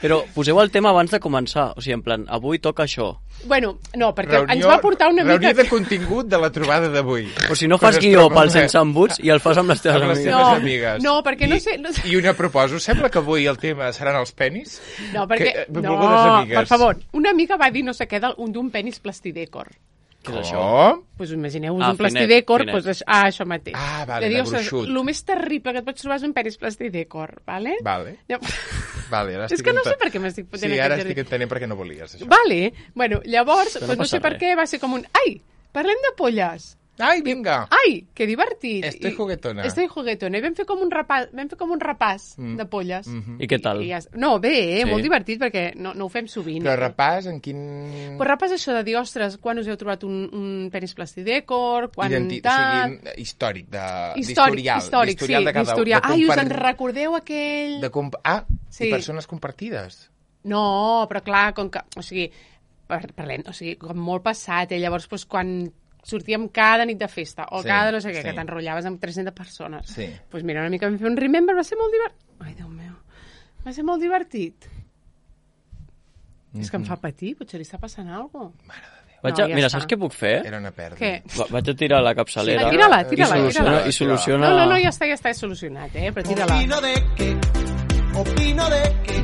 Però poseu el tema abans de començar. O sigui, en plan, avui toca això. Bueno, no, perquè ens va portar una mica... Reunió de contingut de la trobada d'avui. O si no fas guió pel Sense Embuts i el fas amb les teves amigues. No, perquè no sé... I una proposo, sembla que avui el tema seran els penis? No, perquè... No, per favor, una amiga va dir no sé què d'un penis plastidècor. Què és això? Pues imagineu-vos un plastidècor, això mateix. Vale, de gruixut. El més terrible que et pots trobar és un penis plastidècor, vale? Vale, ara és que no sé per què m'estic fotent aquest jardí. Sí, ara estic entenent per què no volies, això. Vale, bueno, llavors, no sé per què, va ser com un... Ai, parlem de polles. Ai, vinga! Ai, que divertit! Estoy juguetona. I vam fer com un repàs de polles. I què tal? No, bé, molt divertit, perquè no ho fem sovint. Però repàs en quin... Pues repàs això de dir, ostres, quan us heu trobat un penis plastidècor, quan tal... Històric, d'historial de cada un. Ai, us en recordeu aquell... I persones compartides. No, però clar, com que... O sigui, parlem, com molt passat, llavors, quan sortíem cada nit de festa, o cada no sé què, que t'enrotllaves amb 300 persones. Doncs mira, una mica vam fer un remember, va ser molt divertit. Ai, Déu meu, va ser molt divertit. És que em fa patir, potser li està passant alguna cosa. Mare de Déu. Mira, saps què puc fer? Era una pèrdua. Què? Vaig a tirar la capçalera. Tira-la. I soluciona... No, ja està solucionat, però tira-la. Opino de que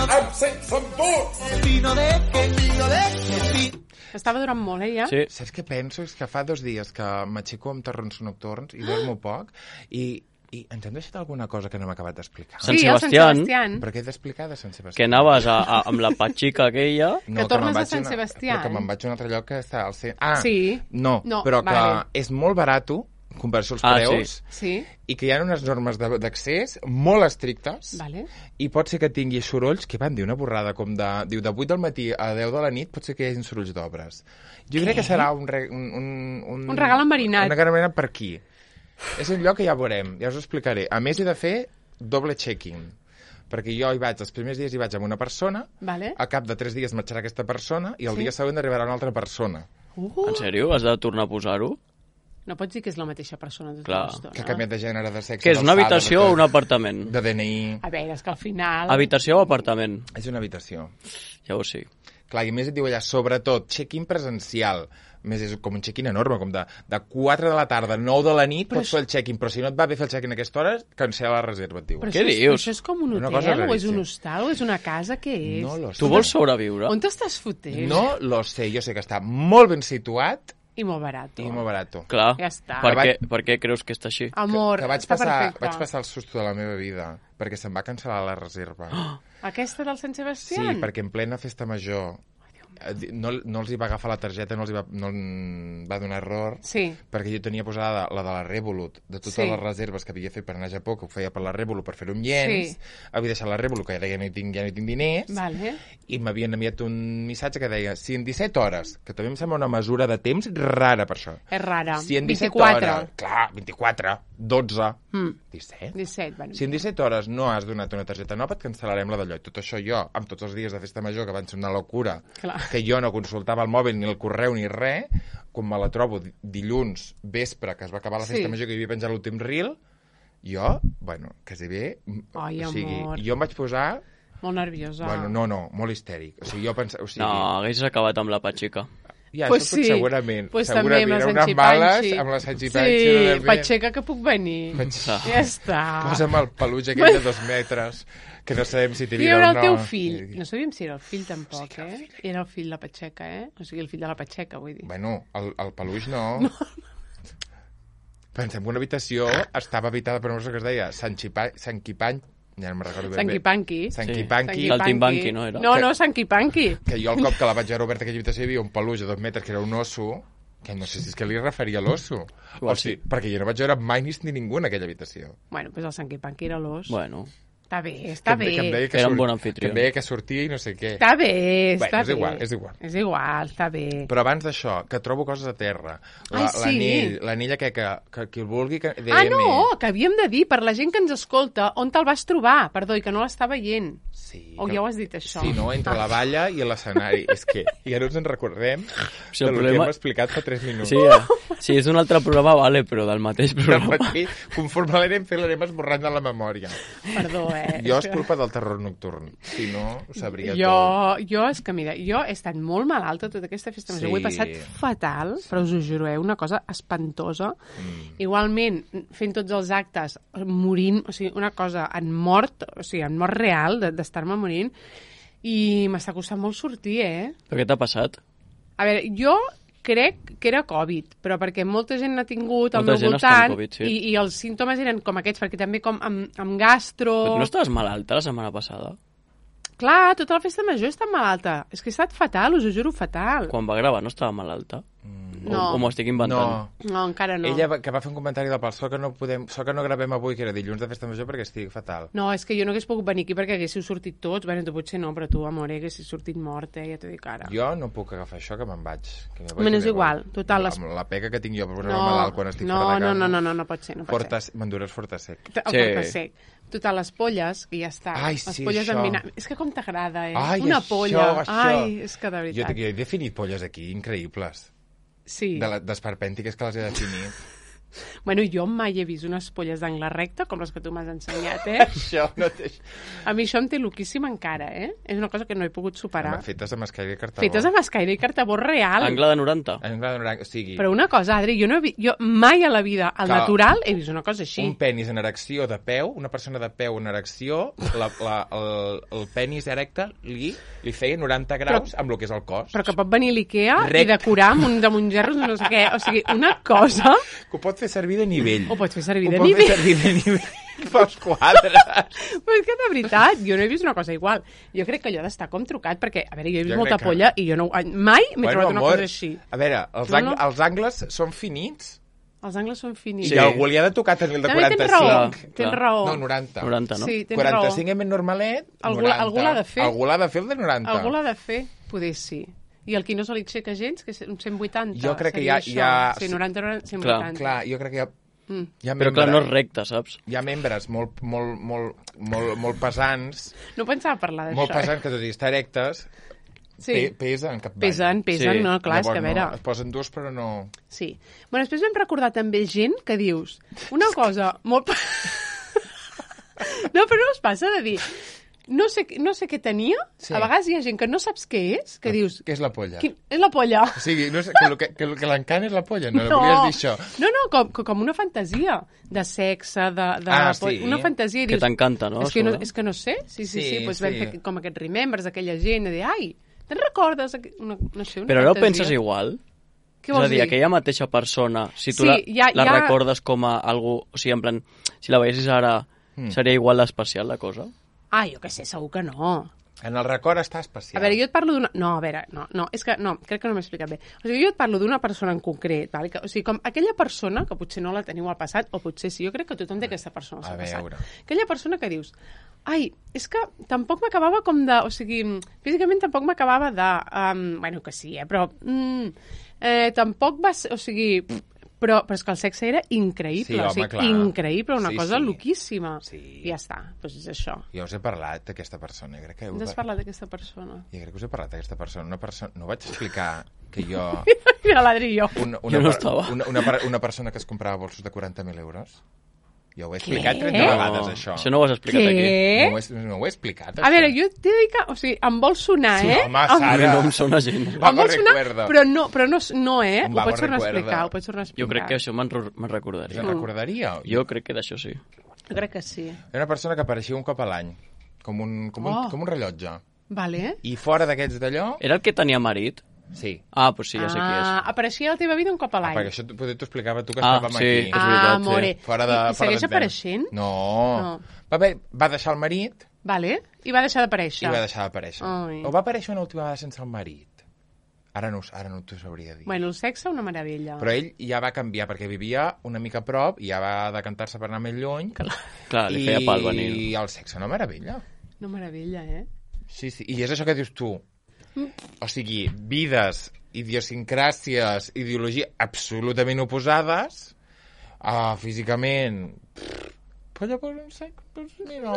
Amb sense embuts! Opino de que Estava durant molt, ja? Sí. Saps què penso? És que fa 2 dies que m'aixeco amb terrons nocturns i dormo poc i ens hem deixat alguna cosa que no hem acabat d'explicar. Sí, el Sant Sebastián. Però què he d'explicar de Sant Sebastián? Que anaves amb la patxica aquella... Que tornes a Sant Sebastián. Però que me'n vaig a un altre lloc que està al centre. Sí. No, però que és molt barat en comparació als preus, i que hi ha unes normes d'accés molt estrictes, i pot ser que tingui sorolls, que van dir una borrada com de 8 del matí a 10 de la nit, pot ser que hi hagi sorolls d'obres. Jo crec que serà un regal enverinat. Un regal enverinat per aquí. És un lloc que ja veurem, ja us ho explicaré. A més, he de fer doble checking, perquè jo els primers dies hi vaig amb una persona, al cap de 3 dies marxarà aquesta persona, i el dia següent arribarà una altra persona. En sèrio? Has de tornar a posar-ho? No pots dir que és la mateixa persona tota l'estona. Que ha canviat de gènere, de sexe... Que és una habitació o un apartament? De DNI... A veure, és que al final... Habitació o apartament? És una habitació. Llavors sí. Clar, i més et diu allà, sobretot, check-in presencial. Més és com un check-in enorme, com de 4 de la tarda, 9 de la nit, pots fer el check-in, però si no et va bé fer el check-in a aquesta hora, cancela la reserva, et diuen. Què dius? Això és com un hotel, o és un hostal, o és una casa, què és? No lo sé. Tu vols sobreviure? On t'estàs fotent? No lo sé, jo sé que està molt ben situat, i molt barat. Clar. Ja està. Per què creus que està així? Amor, està perfecte. Vaig passar el susto de la meva vida, perquè se'm va cancel·lar la reserva. Aquesta del Sant Sebastián? Sí, perquè en plena festa major no els hi va agafar la targeta, no va donar error, perquè jo tenia posada la de la Revolut, de totes les reserves que havia fet per anar a Japó, que ho feia per la Revolut per fer un llenç, havia deixat la Revolut, que ja no hi tinc diners, i m'havien enviat un missatge que deia, si en 17 hores, que també em sembla una mesura de temps rara per això. És rara. Si en 17 hores, clar, 24, 12, 17, bueno. Si en 17 hores no has donat una targeta nova, et cancel·larem la d'allò. I tot això jo, amb tots els dies de festa major, que van ser una locura, que jo no consultava el mòbil, ni el correu, ni res, quan me la trobo dilluns vespre, que es va acabar la festa major, que hi havia penjat l'últim reel, jo, bueno, quasi bé... Ai, amor. Jo em vaig posar... Molt nerviosa. Bueno, no, molt histèric. O sigui, jo pensava... No, haguessis acabat amb la patxica. Ja, pues això segurament. Pues també amb la Sanchipanchi. Amb la Sanchipanchi. Sí, patxeca que puc venir. Ja està. Posa'm el peluix aquell de 2 metres, que no sabem si t'hi havia o no. I era el teu fill. No sabíem si era el fill tampoc, Era el fill de la Patxeca, O sigui, el fill de la Patxeca, vull dir. Bueno, el peluix no. Pensem que una habitació estava habitada per una cosa que es deia Sanchipanchi. Ja no me'n recordo ben bé. Sanquipanqui. Saltimbanqui, no era? No, Sanquipanqui. Que jo el cop que la vaig veure oberta aquella habitació hi havia un peluix de 2 metres que era un osso, que no sé si és que li referia a l'osso. O sigui, perquè jo no vaig veure mai ni ningú en aquella habitació. Bueno, doncs el Sanquipanqui era l'os. Bueno. Està bé, està bé. Era un bon anfitrió. Que em deia que sortia i no sé què. Està bé, està bé. És igual. És igual, està bé. Però abans d'això, que trobo coses a terra. L'anell que qui el vulgui... que havíem de dir, per la gent que ens escolta, on te'l vas trobar, perdó, i que no l'està veient. Sí. O ja ho has dit, això? Sí, no? Entre la valla i l'escenari. És que ja no ens en recordem del que hem explicat fa 3 minuts. Sí, és un altre programa, vale, però del mateix programa. Conforme l'anem fent, l'anem esborrant de la memòria. Perdó, Jo és culpa del terror nocturn. Si no, ho sabria tot. Jo, és que, mira, jo he estat molt malalta tota aquesta festa major. Ho he passat fatal, però us ho juro, una cosa espantosa. Igualment, fent tots els actes, morint, o sigui, una cosa en mort real, d'estar-me morint, i m'està costant molt sortir, Però què t'ha passat? A veure, jo crec que era Covid, però perquè molta gent n'ha tingut al meu voltant i els símptomes eren com aquests, perquè també com amb gastro... Però no estaves malalta la setmana passada? Clar, tota la festa major he estat malalta. És que he estat fatal, us ho juro, fatal. Quan va gravar no estava malalta? No. O m'ho estic inventant? No, encara no. Ella que va fer un comentari del sort que no gravem avui, que era dilluns de festa major, perquè estic fatal. No, és que jo no hagués pogut venir aquí perquè haguéssiu sortit tots. Bueno, tu potser no, però tu, amore, haguessis sortit mort, ja t'ho dic ara. Jo no puc agafar això, que me'n vaig. És igual, total. Amb la pega que tinc jo per posar-me malalt quan estic fora de casa. No pot ser. M'endures Fortasec. Fortasec. Total, les polles, que ja està. Ai, les sí, polles això. És que com t'agrada, Ai, una polla. Això. Ai, és que de veritat. Jo he definit polles aquí, increïbles. Sí. D'esperpèntiques que les he definit. Bueno, jo mai he vist unes polles d'angle recte com les que tu m'has ensenyat, Això no té... A mi això em té loquíssim encara, És una cosa que no he pogut superar. Fetes amb escaire i cartabó. Fetes amb escaire i cartabó real. Angle de 90. Angle de 90, o sigui... Però una cosa, Adri, jo mai a la vida, al natural, he vist una cosa així. Un penis en erecció de peu, una persona de peu en erecció, el penis erecte li feia 90 graus amb el que és el cos. Però que pot venir l'Ikea i decorar amb un de mongerros, no sé què. O sigui, una cosa... Que ho pot fer servir de nivell. Ho pot fer servir de nivell. Ho pot fer servir de nivell pels quadres. Però és que de veritat, jo no he vist una cosa igual. Jo crec que allò d'estar com trucat, perquè, a veure, jo he vist molta polla i jo mai m'he trobat una cosa així. A veure, els angles són finits. Els angles són finits. I algú li ha de tocar tenir el de 45. Tens raó. No, 90. 90, no? Sí, tens raó. 45 és més normalet, 90. Algú l'ha de fer. Algú l'ha de fer el de 90. Algú l'ha de fer, poder sí. I el qui no se li aixeca gens, que és un 180. Jo crec que hi ha... Sí, 90, 180. Clar, jo crec que hi ha... Però clar, no és recte, saps? Hi ha membres molt pesants. No pensava parlar d'això. Molt pesants, que tot i estar erectes, pesen cap baix. Pesen, no, clar, és que a veure... Es posen durs, però no... Sí. Bueno, després vam recordar també gent que dius una cosa molt... No, però no us passa de dir... No sé què tenia, a vegades hi ha gent que no saps què és, que dius... Què és la polla? És la polla. O sigui, no sé, que el que l'encant és la polla, no volies dir això? No, com una fantasia de sexe, sí. Una fantasia. Que t'encanta, no? És que no sé. Sí, doncs vam fer com aquests remembers d'aquella gent, de dir, ai, te'n recordes? No sé, una Però no fantasia. penses igual? Què vols dir? És a dir, aquella mateixa persona, si tu la recordes com a algú... O sigui, en plan, si la veiessis ara, seria igual d'especial la cosa? Ah, jo què sé, segur que no. En el record està especial. A veure, jo et parlo d'una... No, a veure, no, és que no, crec que no m'he explicat bé. O sigui, jo et parlo d'una persona en concret, val? O sigui, com aquella persona, que potser no la teniu al passat, o potser sí, jo crec que tothom té aquesta persona al passat. Aquella persona que dius, ai, és que tampoc m'acabava com de... O sigui, físicament tampoc m'acabava de... bueno, que sí, però... tampoc va ser... O sigui... Però és que el sexe era increïble, sí, home, clar. Increïble, una cosa loquíssima. Sí. I ja està, doncs és això. Jo us he parlat d'aquesta persona. Has parlat d'aquesta persona? Jo crec que us he parlat d'aquesta persona. No vaig explicar que jo... Mira l'Adri i jo. Jo no estava. Una persona que es comprava bolsos de 40.000 euros. Jo ho he explicat 30 vegades, això. Això no ho has explicat aquí. No ho he explicat, això. A veure, jo t'he de dir que... O sigui, em vol sonar, sí, home, Sara. No em sona gent. Em vol sonar, però no, ho pots tornar a explicar, Jo crec que això me'n recordaria. Te'n recordaria? Jo crec que d'això sí. Jo crec que sí. Era una persona que apareixia un cop a l'any, com un rellotge. Vale. I fora d'aquests d'allò... Era el que tenia marit? Sí. Ah, doncs sí, ja sé qui és. Apareixia a la teva vida un cop a l'any. Perquè això potser t'ho explicava tu que estàvem aquí. És veritat, amore. Sí. I segueix apareixent? No. Va deixar el marit. Vale. I va deixar d'aparèixer. O va aparèixer una última vegada sense el marit. Ara no t'ho sabria dir. Bueno, el sexe, una meravella. Però ell ja va canviar, perquè vivia una mica a prop, i ja va decantar-se per anar més lluny. Clar, li feia pal venir. I el sexe, una meravella. Una meravella, Sí. I és això que dius tu. O sigui, vides, idiosincràcies, ideologia absolutament oposades, físicament... Però llavors un sexe, doncs mira,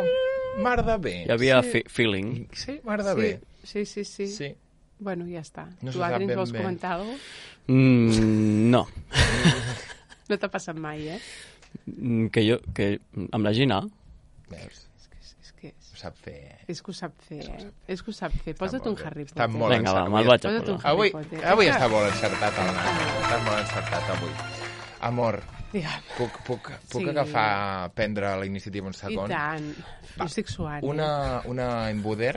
mar de bé. Hi havia feeling. Sí, mar de bé. Sí. Bueno, ja està. No tu, Adri, ens vols comentar alguna cosa? No. No t'ha passat mai, Que amb la Gina... Veus? És que ho sap fer, És que ho sap fer, Posa't un Harry Potter. Està molt encertat. Vinga, va, me'l vaig a posar. Avui està molt encertat, Estàs molt encertat, avui. Amor, puc agafar, prendre la iniciativa un segon? I tant. Jo estic suant. Una embuder?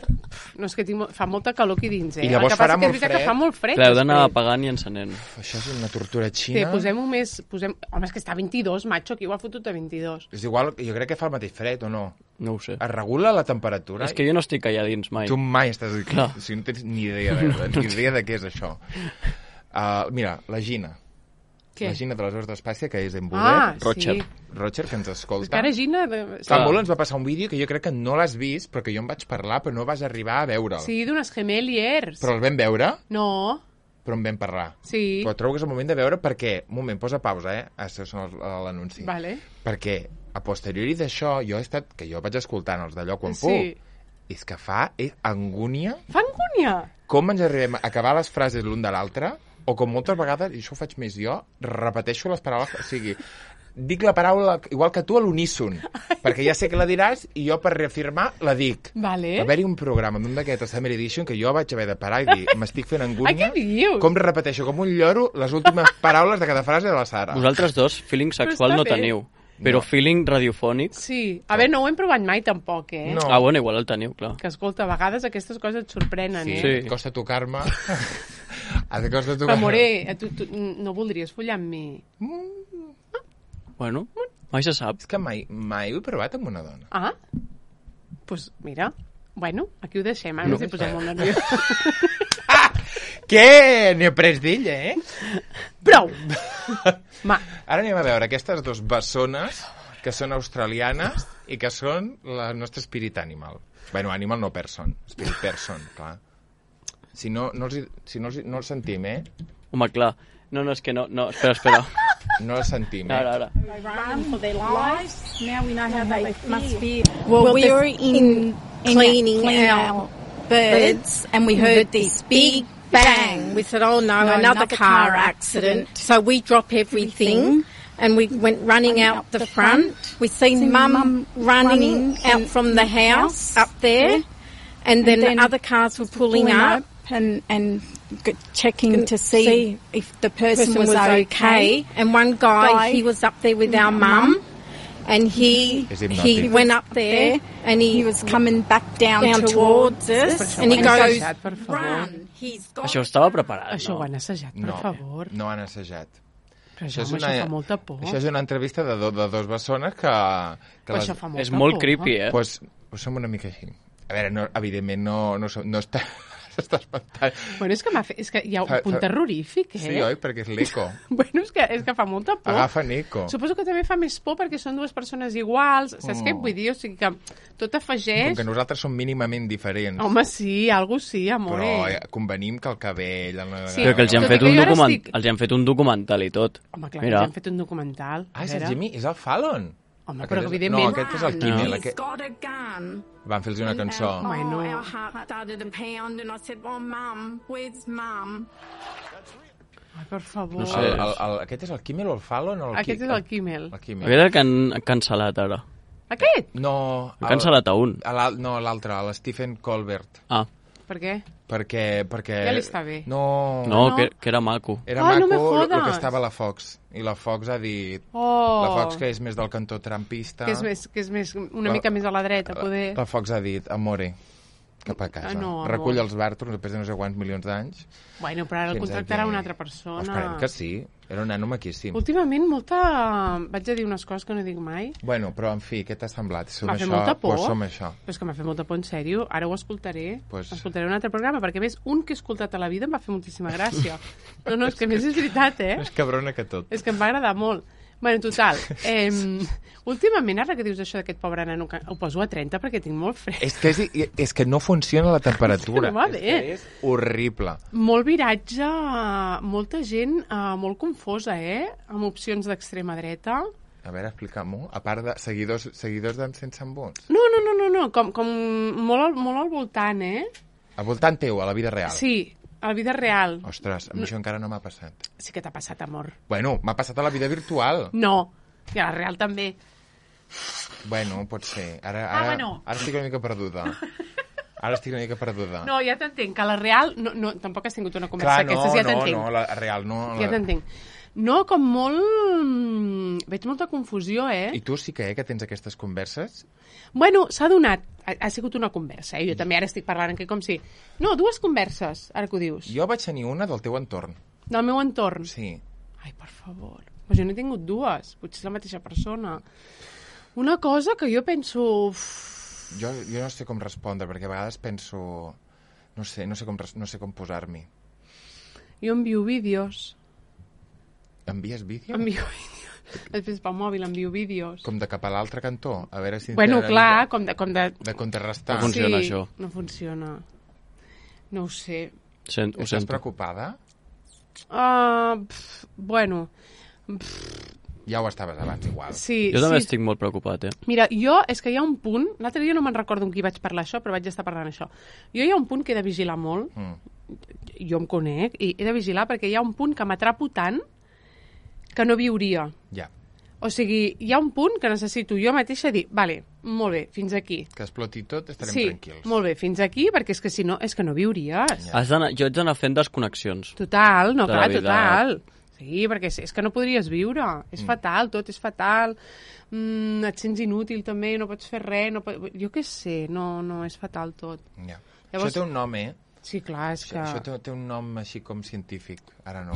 No, és que fa molta calor aquí dins, I llavors farà molt fred. Que fa molt fred. Clar, heu d'anar apagant i encenent. Això és una tortura xina. Posem-ho més... Home, és que està a 22, macho, aquí ho ha fotut a 22. És igual, jo crec que fa el mateix fred, o no? No ho sé. Es regula la temperatura? És que jo no estic allà dins mai. Tu mai estàs aquí. Clar. O sigui, no tens ni idea de què és això. Mira, la Gina. Què? La Gina de les Hores d'Espàcia, que és en Buder. Roger, que ens escolta. És que ara Gina... Fa molt ens va passar un vídeo que jo crec que no l'has vist, però que jo em vaig parlar, però no vas arribar a veure'l. Sí, d'unes gemeliers. Però el vam veure? No. Però en vam parlar. Sí. Però trobo que és el moment de veure perquè... Un moment, posa pausa, Això és l'anunci. Vale. Perquè a posteriori d'això, que jo vaig escoltant els d'allò quan puc, és que fa angúnia. Fa angúnia? Com ens arribem a acabar les frases l'un de l'altre, o com moltes vegades, i això ho faig més jo, repeteixo les paraules, o sigui, dic la paraula igual que tu a l'uníson, perquè ja sé que la diràs i jo per reafirmar la dic. Vale. Va haver-hi un programa d'un d'aquests Summer Edition que jo vaig haver de parar i dir, m'estic fent angúnia. Ai, què dius? Com repeteixo com un lloro les últimes paraules de cada frase de la Sara. Vosaltres dos, feeling sexual no teniu. Però feeling radiofònic... Sí. A veure, no ho hem provat mai, tampoc, No. Bueno, igual el teniu, clar. Que, escolta, a vegades aquestes coses et sorprenen, Sí, costa tocar-me. Costa tocar-me. Però, Moré, tu no voldries follar amb mi? Bueno, mai se sap. És que mai ho he provat amb una dona. Ah, doncs mira. Bueno, aquí ho deixem, ara ens hi posem molt nerviós. Què? N'he après d'ella, Prou! Ara anem a veure aquestes dues bessones que són australianes i que són el nostre spirit animal. Bueno, animal no person, spirit person, clar. Si no els sentim, Home, clar. No, és que no. Espera. No els sentim, Ara. They run for their lives. Now we know how they must feel. Well, we were in cleaning our birds and we heard this big bang. We said, oh no, another car accident. So we drop everything and we went running out the front. We seen Mum running out from the house up there, and then other cars were pulling up and checking to see if the person was okay. And one guy, he was up there with our mum. And he went up there and he was coming back down towards us and he goes, run. Això estava preparat, Això ho han assajat, per favor. No han assajat. Però això fa molta por. Això és una entrevista de dos bessones que això fa molta por. És molt creepy, Pues som una mica així. A veure, evidentment no està... Està espantant. Bueno, és que hi ha un punt terrorífic, Sí, oi? Perquè és l'eco. Bueno, és que fa molta por. Agafa l'eco. Suposo que també fa més por perquè són dues persones iguals. Saps què vull dir? O sigui que tot afegeix... Com que nosaltres som mínimament diferents. Home, sí, algo sí, amor. Però convenim que el cabell... Sí, però que els han fet un documental i tot. Home, clar, que els han fet un documental. És el Jimmy? És el Fallon? Home, però evidentment... No, aquest és el Kimmel. He's got a gun. Van fer-los una cançó. Bueno. Our heart started to pound and I said, oh, Mum, where's Mum? Ai, per favor. No sé. Aquest és el Kimmel o el Fallon? Aquest és el Kimmel. Aquest és el que han cancel·lat ara. Aquest? No. Han cancel·lat a un. No, l'altre, l'Stephen Colbert. Per què? Perquè... Ja li està bé. No, que era maco. Era maco no me jodes. el que estava a la Fox. I la Fox ha dit... La Fox, que és més del cantó trampista... Que és més una mica més a la dreta, poder... La Fox ha dit, amore, cap a casa. No, recull els bàrtors després de no sé quants milions d'anys. Bueno, però ara el contractarà una altra persona. Esperem que sí. Era un nano maquíssim. Últimament, vaig a dir unes coses que no dic mai. Bueno, però en fi, què t'ha semblat? M'ha fet molta por. Pues som això. Però és que m'ha fet molta por, en sèrio. Ara ho escoltaré. Escoltaré un altre programa, perquè més, un que he escoltat a la vida em va fer moltíssima gràcia. No, és que més és veritat, Més cabrona que tot. És que em va agradar molt. Bueno, en total, últimament, ara que dius això d'aquest pobre nano, ho poso a 30 perquè tinc molt fred. És que no funciona la temperatura. És que no va bé. És horrible. Molt viratge, molta gent molt confosa, amb opcions d'extrema dreta. A veure, explica-m'ho. A part de seguidors d'en Sense Embuts. No, com molt al voltant, Al voltant teu, a la vida real. Sí, a la vida real. Ostres, a mi això encara no m'ha passat. Sí que t'ha passat, amor. Bueno, m'ha passat a la vida virtual. No, i a la real també. Bueno, pot ser. Ara estic una mica perduda. No, ja t'entenc, que a la real tampoc has tingut una conversa d'aquestes, ja t'entenc. No, la real no. Ja t'entenc. No, com molt... Veig molta confusió, I tu sí que tens aquestes converses? Bueno, s'ha donat. Ha sigut una conversa, Jo també ara estic parlant aquí com si... No, 2 converses, ara que ho dius. Jo vaig tenir una del teu entorn. Del meu entorn? Sí. Ai, per favor. Però jo n'he tingut 2. Potser és la mateixa persona. Una cosa que jo penso... Jo no sé com respondre, perquè a vegades penso... No sé com posar-m'hi. Jo envio vídeos. Envies vídeos? Envio vídeos. Després pel mòbil envio vídeos. Com de cap a l'altre cantó? A veure si... Bueno, clar, com de... De contrarrestar. No funciona, això. No funciona. No ho sé. Estàs preocupada? Bueno... Ja ho estaves abans, igual. Sí, jo també estic molt preocupat, Mira, és que hi ha un punt... L'altre dia no me'n recordo amb qui vaig parlar això, però vaig estar parlant això. Hi ha un punt que he de vigilar molt. Jo em conec, i he de vigilar perquè hi ha un punt que m'atrapo tant que no viuria. Ja. O sigui, hi ha un punt que necessito jo mateixa dir, vale, molt bé, fins aquí. Que exploti tot, estarem tranquils. Sí, molt bé, fins aquí, perquè és que si no, és que no viuries. Ja. Jo haig d'anar fent desconnexions. Total, no, clar, total. Sí, perquè és que no podries viure. És fatal, tot és fatal. Et sents inútil també, no pots fer res. Jo què sé, no, és fatal tot. Ja. Llavors... Això té un nom, Sí, clar, és que... Això té un nom així com científic. Ara no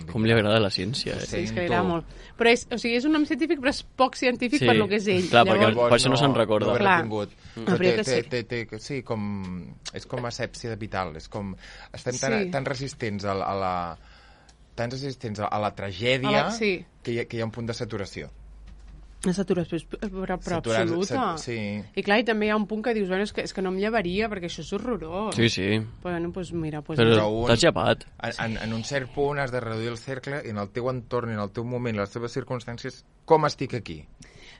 com li agrada la ciència, Sí, és que li agrada molt. Però és un nom científic, però és poc científic per lo que és ell. Clar, perquè per això no se'n recorda. No sí, com... És com asèpsia vital. És com... Estem tan resistents a la tragèdia que hi ha un punt de saturació. La saturació però absoluta. Sí. I clar, i també hi ha un punt que dius, bueno, és que no em llevaria perquè això és horrorós. Sí. Bueno, doncs mira... Però t'has llevat. En un cert punt has de reduir el cercle i en el teu entorn, en el teu moment, les teves circumstàncies, com estic aquí?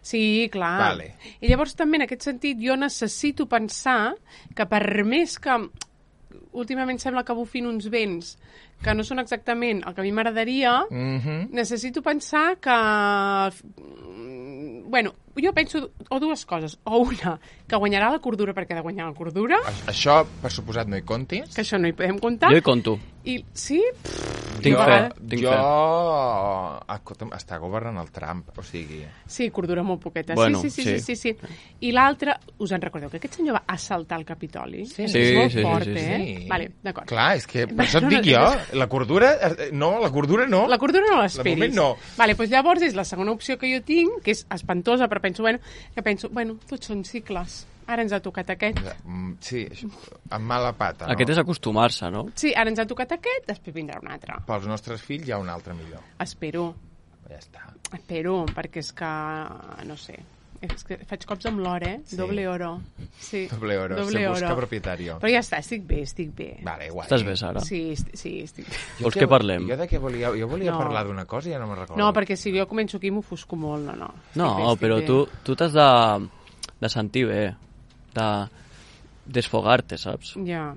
Sí, clar. Vale. I llavors també en aquest sentit jo necessito pensar que per més que últimament sembla que bufin uns vents que no són exactament el que a mi m'agradaria, necessito pensar que... Bueno, jo penso o 2 coses. O una, que guanyarà la cordura perquè ha de guanyar la cordura. Això, per suposat, no hi comptis. Que això no hi podem comptar. Jo hi conto. I sí? Tinc fe. Està governant el Trump, o sigui... Sí, cordura molt poqueta. Bueno, sí. I l'altre, us en recordeu que aquest senyor va assaltar el Capitoli? Sí. És molt fort, Sí. Vale, d'acord. Clar, és que per això et dic jo, la cordura no. La cordura no l'esperis. De moment no. Vale, doncs llavors és la segona opció que jo tinc, que és espantosa, però penso, tots són cicles. Ara ens ha tocat aquest. Sí, amb mala pata, no? Aquest és acostumar-se, no? Sí, ara ens ha tocat aquest, després vindrà un altre. Pels nostres fills hi ha un altre millor. Espero. Ja està. Espero, perquè és que, no sé, és que faig cops amb l'or, Sí. Doble oro. Sí. Doble oro. Se busca propietario. Però ja està, estic bé. Vale, guai. Estàs bé, Sara? Sí, estic bé. Vols que parlem? Jo de què volia? Jo volia parlar d'una cosa i ja no me'n recordo. No, perquè si jo començo aquí m'ofusco molt, no. No, però tu t'has de sentir bé, de desfogar-te, saps? Ja.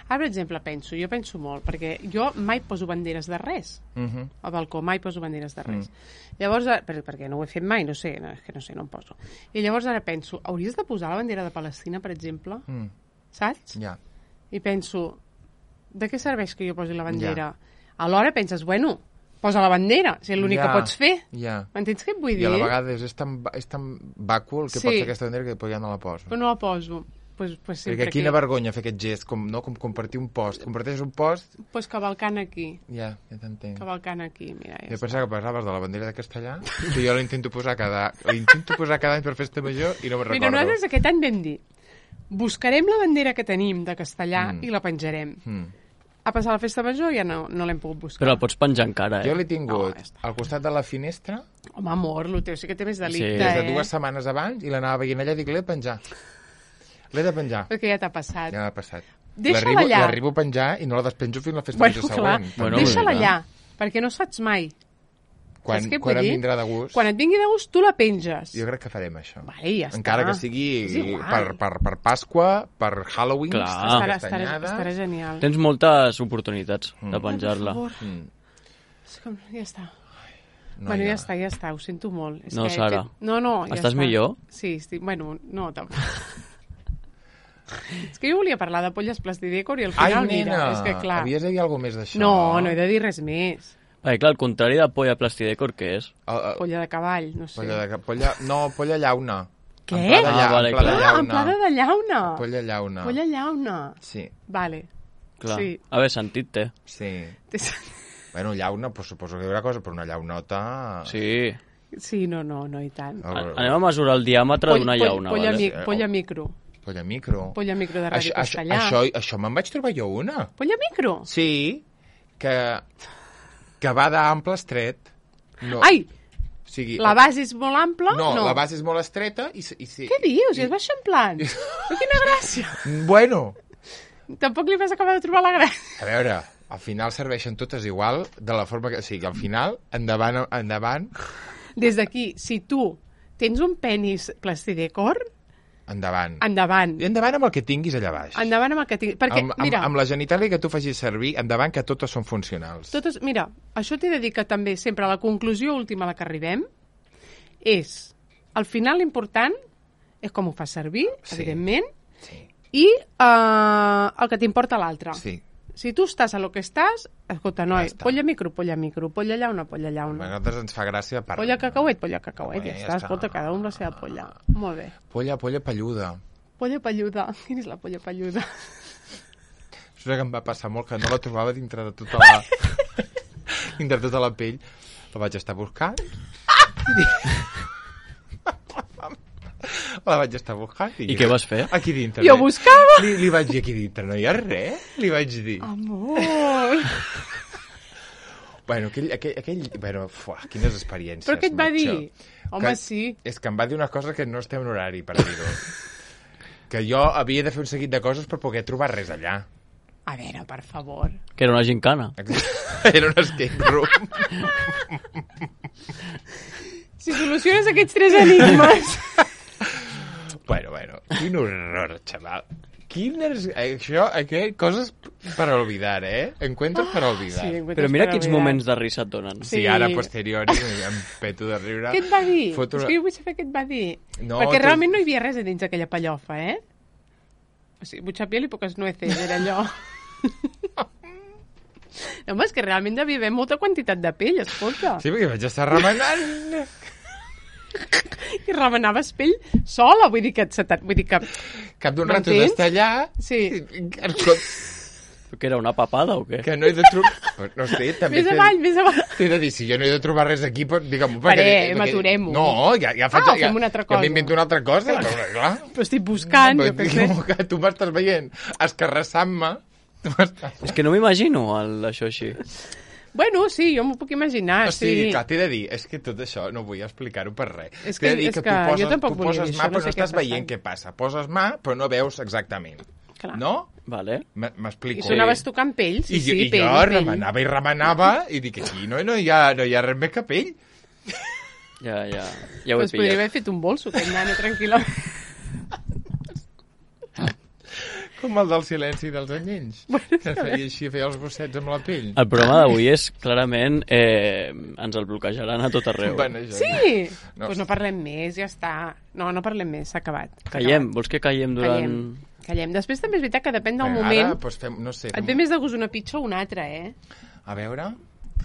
Ara, per exemple, jo penso molt, perquè jo mai poso banderes de res. Al balcó mai poso banderes de res. Llavors, perquè no ho he fet mai, no sé, no em poso. I llavors ara penso, hauries de posar la bandera de Palestina, per exemple? Saps? Ja. I penso, de què serveix que jo posi la bandera? Alhora penses, bueno, posa la bandera, si és l'únic que pots fer. M'entens què et vull dir? I a la vegada és tan vàcul que pots fer aquesta bandera que després ja no la poso. Però no la poso. Perquè quina vergonya fer aquest gest, com compartir un post. Comparteixes un post... Doncs cavalcant aquí. Ja t'entenc. Cavalcant aquí, mira. Jo pensava que parlaves de la bandera de Castellà, que jo l'intento posar cada any per festa major i no me'n recordo. Mira, nosaltres aquest any vam dir, buscarem la bandera que tenim de Castellà i la penjarem. A passar la festa major ja no l'hem pogut buscar. Però la pots penjar encara, Jo l'he tingut al costat de la finestra. Home, amor, el teu sí que té més delicte, Des de 2 setmanes abans i l'anava veient allà i dic, l'he de penjar. L'he de penjar. Perquè ja t'ha passat. Ja m'ha passat. Deixa-la allà. L'arribo a penjar i no la despenjo fins la festa major següent. Deixa-la allà, perquè no saps mai. Quan em vindrà de gust. Quan et vingui de gust, tu la penges. Jo crec que farem això. Vale, ja està. Encara que sigui per Pasqua, per Halloween, estarà genial. Tens moltes oportunitats de penjar-la. Per favor. Ja està. Bueno, ja està, ho sento molt. No, Sara. No, ja estàs millor? Sí, estic... Bueno, no, tampoc. És que jo volia parlar de polles plastidècor i al final, mira, és que clar... Havies de dir alguna més d'això? No he de dir res més. Clar, el contrari de polla plastidècor, què és? Polla de cavall, no sé. Polla llauna. Què? Amplada de llauna. Polla llauna. Polla llauna. Sí. Vale. Clar. A veure, sentit té. Sí. Bueno, llauna, pues suposo que hi haurà cosa, però una llaunota... Sí. Sí, no, i tant. Anem a mesurar el diàmetre d'una llauna. Polla micro. Polla micro. Polla micro de Ràdio Castellà. Això me'n vaig trobar jo una. Polla micro? Sí, que va d'ample estret. No. Ai! La base és molt ampla? No, la base és molt estreta i sí. Què dius? I es va eixamplant? Quina gràcia! Bueno. Tampoc li vas acabar de trobar la gràcia. A veure, al final serveixen totes igual, de la forma que... O sigui, al final, endavant... Des d'aquí, si tu tens un penis plastidècor... Endavant. Endavant. I endavant amb el que tinguis allà baix. Endavant amb el que tinguis. Perquè, mira... Amb la genitàlia que tu facis servir, endavant que totes són funcionals. Mira, això t'he de dir que també sempre la conclusió última a la que arribem és, al final l'important és com ho fas servir, evidentment, i el que t'importa l'altre. Sí. Si tu estàs a lo que estàs, escolta, noi, polla micro, polla llauna. A nosaltres ens fa gràcia per... Polla cacauet, ja està. Escolta, cada un la seva polla. Molt bé. Polla palluda. Polla palluda. Quina és la polla palluda? Això que em va passar molt, que no la trobava dintre de tota la... dintre de tota la pell. La vaig estar buscant. La vaig estar buscant. I què vas fer? Aquí dintre. Jo buscava. Li vaig dir aquí dintre, no hi ha res. Li vaig dir. Amor. Bueno, quines experiències. Però què et va dir? Home, sí. És que em va dir una cosa que no estem en horari per dir-ho. Que jo havia de fer un seguit de coses per poder trobar res allà. A veure, per favor. Que era una gincana. Era un escape room. Si soluciones aquests 3 enigmes... Bueno, quin horror, xaval. Coses per olvidar, Encuentros per olvidar. Sí, però mira quins moments de risa et donen. Sí, ara, posteriori, em peto de riure. Què et va dir? És que jo vull saber què et va dir. No, perquè realment no hi havia res a dins d'aquella pallofa, O sigui, mucha piel i poques nueces, era allò. No, home, és que realment devia haver molta quantitat de pell, escolta. Sí, perquè vaig estar remenant... I remenaves pell sola, vull dir que... Cap d'un rato d'estar allà... Sí. Que era una papada o què? Que no he de trobar... No sé, també... Més avall. T'he de dir, si jo no he de trobar res aquí, digue'm... Maturem-ho. No, ja faig... fem una altra cosa. Ja m'invento una altra cosa, clar. Però estic buscant, jo què sé. Tu m'estàs veient escarrassant-me. És que no m'imagino això així. Bueno, sí, jo m'ho puc imaginar. O sigui, clar, t'he de dir, és que tot això no vull explicar-ho per res. És que jo tampoc volia dir això, però no estàs veient què passa. Poses mà, però no veus exactament. Clar. No? Vale. I M'explico. sonaves tocant pell, sí, pell. I jo remenava i dic, aquí no hi ha res més que pell. Ja ho he pillat. Podria haver fet un bolso, aquest nano, tranquil·la. Com el del silenci dels anyells. Que feia els bossets amb la pell. El programa d'avui és, clarament, ens el bloquejaran a tot arreu. Bueno, sí? Doncs no parlem més, ja està. No parlem més, s'ha acabat. Callem? Vols que callem durant... Callem. Després també és veritat que depèn del moment. Ara, doncs no sé. Et ve més de gust una pitxa o una altra, A veure...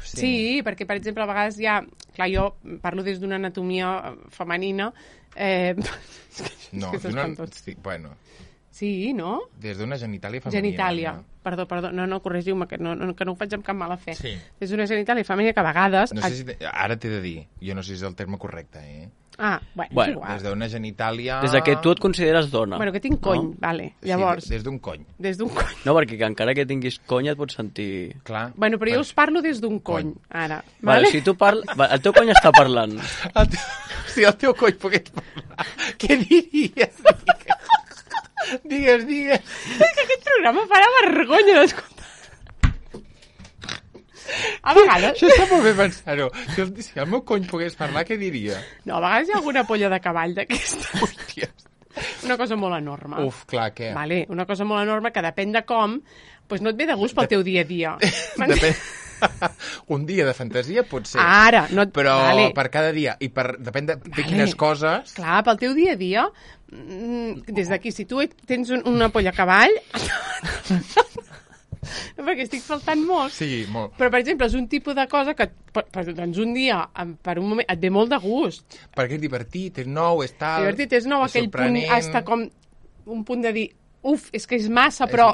Sí, perquè, per exemple, a vegades hi ha... Clar, jo parlo des d'una anatomia femenina. No, bueno... Sí, no? Des d'una genitàlia femenina. Genitàlia. Perdó, no, corregiu-me, que no ho faig amb cap mala fe. Sí. Des d'una genitàlia femenina que a vegades... No sé si ara t'he de dir, jo no sé si és el terme correcte, bueno, igual. Des d'una genitàlia... Des que tu et consideres dona. Bueno, que tinc cony, vale. Llavors... Sí, des d'un cony. Des d'un cony. No, perquè encara que tinguis cony et pots sentir... Clar. Bueno, però jo us parlo des d'un cony, ara. Vale, si tu parles... El teu cony està parlant. Si el teu cony pogués parlar, què diries? Digues. És que aquest programa farà vergonya d'escoltar. A vegades... Això està molt bé pensar-ho. Si el meu cony pogués parlar, què diria? No, a vegades hi ha alguna polla de cavall d'aquesta. Hòstia. Una cosa molt enorme. Uf, clar, què? Vale, una cosa molt enorme que depèn de com, doncs no et ve de gust pel teu dia a dia. Depèn... Un dia de fantasia pot ser. Ara, no... Però per cada dia, i depèn de quines coses... Clar, pel teu dia a dia, des d'aquí, si tu tens una polla a cavall... No, perquè estic faltant molt. Sí, molt. Però, per exemple, és un tipus de cosa que doncs un dia, per un moment, et ve molt de gust. Perquè és divertit, és nou, és tal... Divertit, és nou, aquell punt, hasta com un punt de dir, és que és massa, però...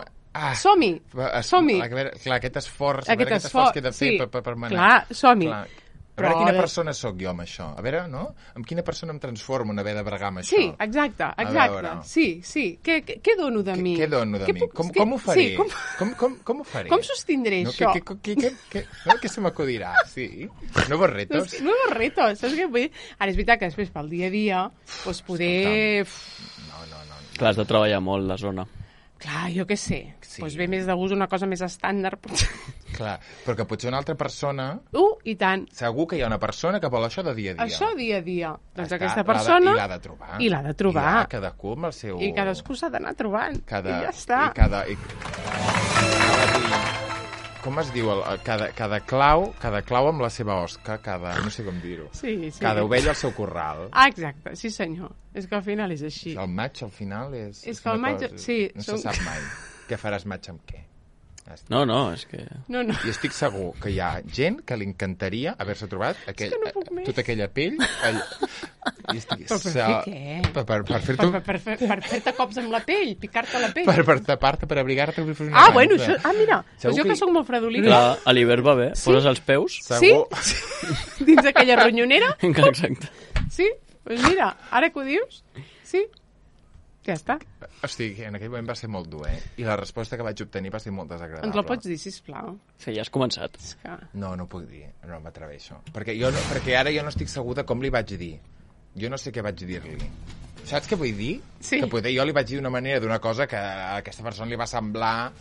Som-hi. Clar, aquest esforç que he de fer per manar. Clar, som-hi. A veure quina persona sóc jo amb això. A veure, no? Amb quina persona em transformo en haver de bregar amb això? Sí, exacte. Sí. Què dono de mi? Què dono de mi? Com ho faré? Com ho faré? Com sostindré això? Què se m'acudirà? Sí. Nuevos retos. Nuevos retos. Saps què vull dir? Ara, és veritat que després, pel dia a dia, doncs poder... No. Clar, has de treballar molt la zona. Clar, jo què sé. Sí. Doncs ve més de gust una cosa més estàndard. Clar, però que potser una altra persona... I tant. Segur que hi ha una persona que vol això de dia a dia. Això dia a dia. Doncs aquesta persona... I l'ha de trobar. I l'ha de trobar. I cadascú amb el seu... I cadascú s'ha d'anar trobant. I ja està. Com es diu? Cada clau amb la seva osca, no sé com dir-ho. Sí. Cada ovella al seu corral. Exacte, sí senyor. És que al final és així. El maig al final és... És que el maig... Sí. No se sap mai. Què faràs maig amb què? No, és que... No. I estic segur que hi ha gent que li encantaria haver-se trobat tota aquella pell... Però per fer què? Per fer-te cops amb la pell, picar-te la pell. Per tapar-te, per abrigar-te. Bueno, això... Mira, jo que sóc molt fredolina. Clar, a l'hivern va bé. Poses els peus. Sí? Dins aquella ronyonera? Exacte. Sí? Doncs mira, ara que ho dius, sí. Ja està. Hosti, en aquell moment va ser molt dur, I la resposta que vaig obtenir va ser molt desagradable. Ens la pots dir, sisplau? Sí, ja has començat. No ho puc dir, no m'atreveixo. Perquè ara jo no estic segur de com li vaig dir. Jo no sé què vaig dir-li. Saps què vull dir? Sí. Que potser jo li vaig dir d'una manera d'una cosa que a aquesta persona li va semblar...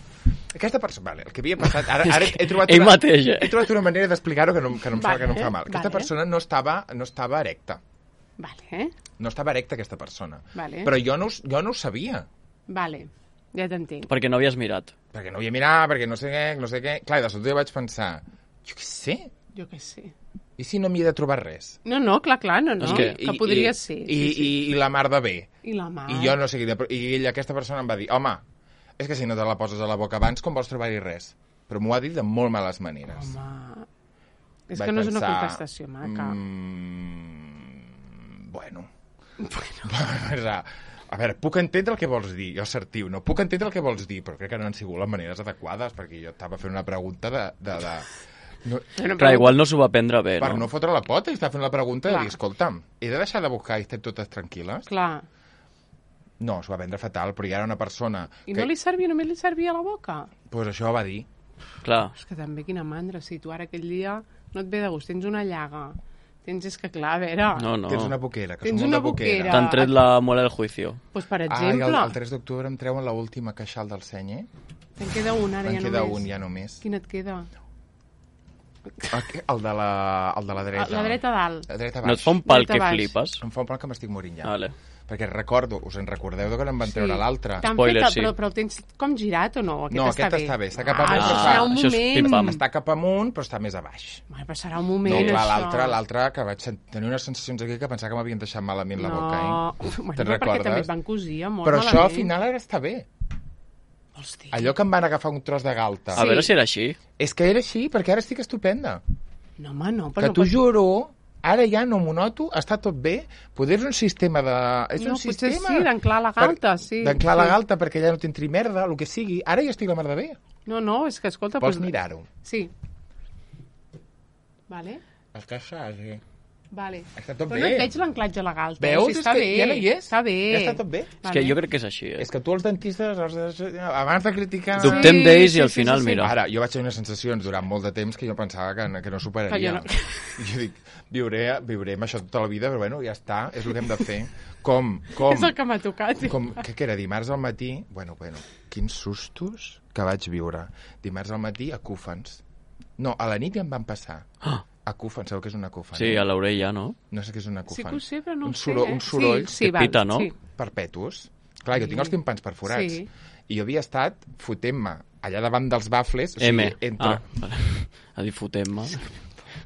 Aquesta persona, vale, el que havia passat... Ara he trobat una manera d'explicar-ho que no em fa mal. Aquesta persona no estava erecta. Vale. No estava erecta aquesta persona. Vale. Però jo no ho sabia. Vale, ja t'entenc. Perquè no havies mirat. Perquè no havia mirat, perquè no sé què. Clar, de sobte jo vaig pensar, jo què sé. I si no m'hi he de trobar res? No, clar, no. Que podria ser. I la mar de bé. I la mar. I jo no sé què. I aquesta persona em va dir, home, és que si no te la poses a la boca abans, com vols trobar-hi res? Però m'ho ha dit de molt males maneres. Home, és que no és una contestació maca. Bueno. A veure, puc entendre el que vols dir, jo assertiu, no? Puc entendre el que vols dir, però crec que no han sigut les maneres adequades, perquè jo estava fent una pregunta No, clar, igual no s'ho va prendre bé, per no fotre la pota, i estava fent la pregunta de dir, escolta'm, he de deixar de buscar i estem totes tranquil·les? Clar. No, s'ho va prendre fatal, però hi era una persona... I no li servia, només li servia a la boca? Doncs pues això va dir. Clar. És que també quina mandra, si tu ara aquell dia no et ve de gust, tens una llaga... és que clar, a veure... No. Tens una boquera, que tens som una boquera. T'han tret la muela del juicio. Pues per exemple... el 3 d'octubre em treuen l'última queixal del seny, Te'n queda un, ara ja només. Te'n queda un, ja només. Quin et queda? El de la dreta. La dreta dalt. La dreta baix. No et fa un pal que flipes? Em fa un pal que m'estic morint ja. Vale. Perquè us en recordeu que no em van treure l'altre. Spoiler, sí. Però el tens com girat o no? Aquest està bé. Està cap amunt. Serà un moment. Està cap amunt, però està més a baix. Però serà un moment, no, clar, l'altre, que vaig tenir unes sensacions aquí que pensava que m'havien deixat malament la boca. Te'n recordes? Perquè també et van cosir molt però malament. Això al final ara està bé. Hosti. Allò que em van agafar un tros de galta. A veure si era així. És que era així, perquè ara estic estupenda. No, home, no. Que t'ho juro Ara ja no m'ho noto, està tot bé, poder és un sistema de... Potser sí, d'anclar la galta, sí. D'anclar la galta perquè ja no t'entri merda, el que sigui. Ara ja estic la mar de bé. No, és que, escolta... Vols mirar-ho? Sí. Vale. Està sí. Vale. Està tot bé. Però no et veig l'anclatge a la galta. Veus? Sí, està bé. Ja no hi és. Està bé. Ja està tot bé. És que jo crec que és així. És que tu els dentistes, abans de criticar... Dubtem d'ells i al final, mira. Ara, jo vaig tenir unes sensacions durant molt de temps que jo pensava que no superaria. Jo dic, viuré amb això tota la vida, però bueno, ja està, és el que hem de fer. Com? És el que m'ha tocat. Què era, dimarts al matí? Bueno, quins sustos que vaig viure. Dimarts al matí a Cúfens. No, a la nit ja em van passar. Acúfen, sabeu què és una acúfen? Sí, a l'orella, no? No sé què és una acúfen. Sí que ho sé, però no ho sé. Un soroll que pita, no? Perpetus. Clar, jo tinc els timpans perforats. Sí. I jo havia estat fotent-me allà davant dels bafles. A dir fotent-me.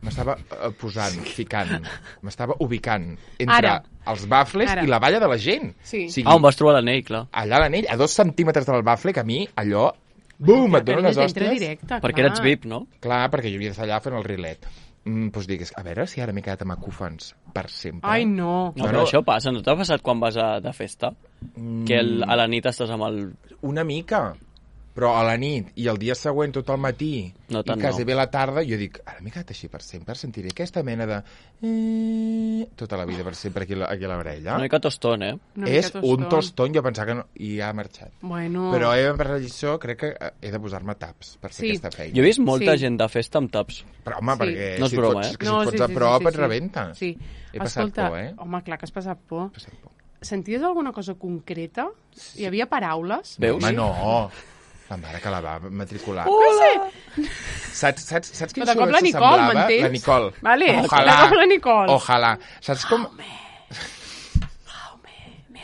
M'estava posant, ficant, m'estava ubicant entre els bafles i la valla de la gent. Sí. On vas trobar l'anell, clar. Allà l'anell, a 2 centímetres del bafle, que a mi allò... Bum, et donen les hòsties. Perquè eres VIP, no? Clar, perquè jo havia d'estar allà fent el rilet. Doncs dic, a veure si ara m'he quedat amb acúfens per sempre. Ai, no. No, però això passa, no t'ha passat quan vas de festa? Que a la nit estàs amb el... Una mica, però a la nit i el dia següent tot el matí i quasi bé la tarda, jo dic, ara m'he quedat així per sempre, sentiré aquesta mena de... tota la vida per sempre aquí a l'orella. Una mica tostón, És un tostón, jo pensava que no... I ha marxat. Bueno. Però per la lliçó crec que he de posar-me taps per fer aquesta feina. Jo he vist molta gent de festa amb taps. Però home, perquè no és broma, si et fots a prop et rebenta. Sí. He passat por, Home, clar que has passat por. Senties alguna cosa concreta? Hi havia paraules? Veus? Home, no. La mare que la va matricular. Sí. Saps quin soroll s'assemblava? Nicole, m'entens? La Nicole. Vale. Ojalà. La Nicole. Ojalà. Saps com...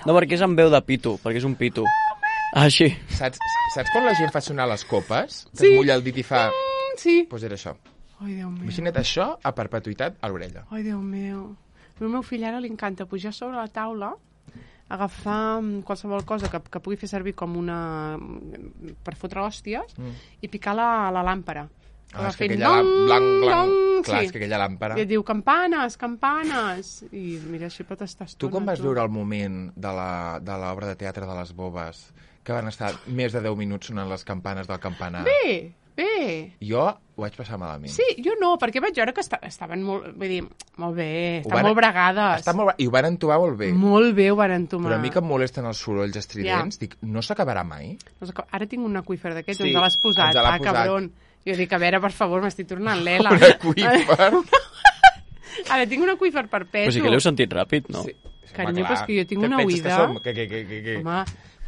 No, perquè és amb veu de pito, perquè és un pito. Així. Saps quan la gent fa sonar les copes? Que es mulla el dit i fa... Sí. Doncs era això. Ai, Déu meu. Imagina't això a perpetuïtat a l'orella. Ai, Déu meu. El meu fill ara li encanta pujar sobre la taula, agafar qualsevol cosa que pugui fer servir com una... per fotre hòsties i picar la làmpara. És que aquella blanc, clar, és que aquella làmpara... I et diu, campanes, campanes! I mira, així pot estar estona. Tu com vas veure el moment de l'obra de teatre de les Bobes, que van estar més de 10 minuts sonant les campanes del campanar? Bé. Jo ho vaig passar malament. Sí, jo no, perquè vaig veure que estaven molt... Vull dir, molt bé, estan molt bregades. I ho van entobar molt bé. Molt bé ho van entomar. Però a mi que em molesten els sorolls estridents, dic, no s'acabarà mai? Ara tinc un aqüífer d'aquests, on te l'has posat. Cabron. Jo dic, a veure, per favor, m'estic tornant l'ela. Un aqüífer? Ara, tinc un aqüífer perpetu. Però sí que l'heu sentit ràpid, no? Sí. Carinyo, però és que jo tinc una oïda... Home,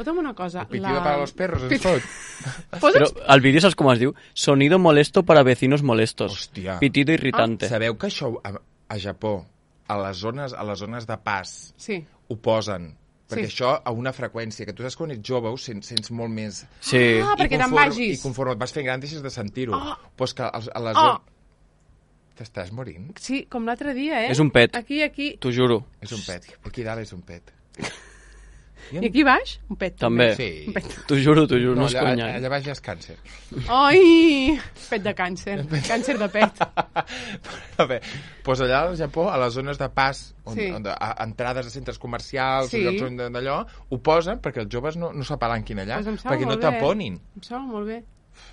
fota'm una cosa. El pitido para los perros, ens fot. Però el vídeo saps com es diu? Sonido molesto para vecinos molestos. Hòstia. Pitido irritante. Sabeu que això a Japó, a les zones de pas, ho posen? Perquè això a una freqüència, que tu saps quan ets jove ho sents molt més... Sí. Perquè te'n vagis. I conforme et vas fent gran deixes de sentir-ho. Pues que a les zones... T'estàs morint? Sí, com l'altre dia, És un pet. Aquí. T'ho juro. És un pet. Aquí dalt és un pet. I aquí baix? Un pet. També. Sí. T'ho juro, no és conya. Allà baix ja és càncer. Ai! Pet de càncer. Càncer de pet. Doncs allà al Japó, a les zones de pas, entrades a centres comercials, llocs on d'allò, ho posen perquè els joves no s'apalanquin allà, perquè no taponin. Em sembla molt bé.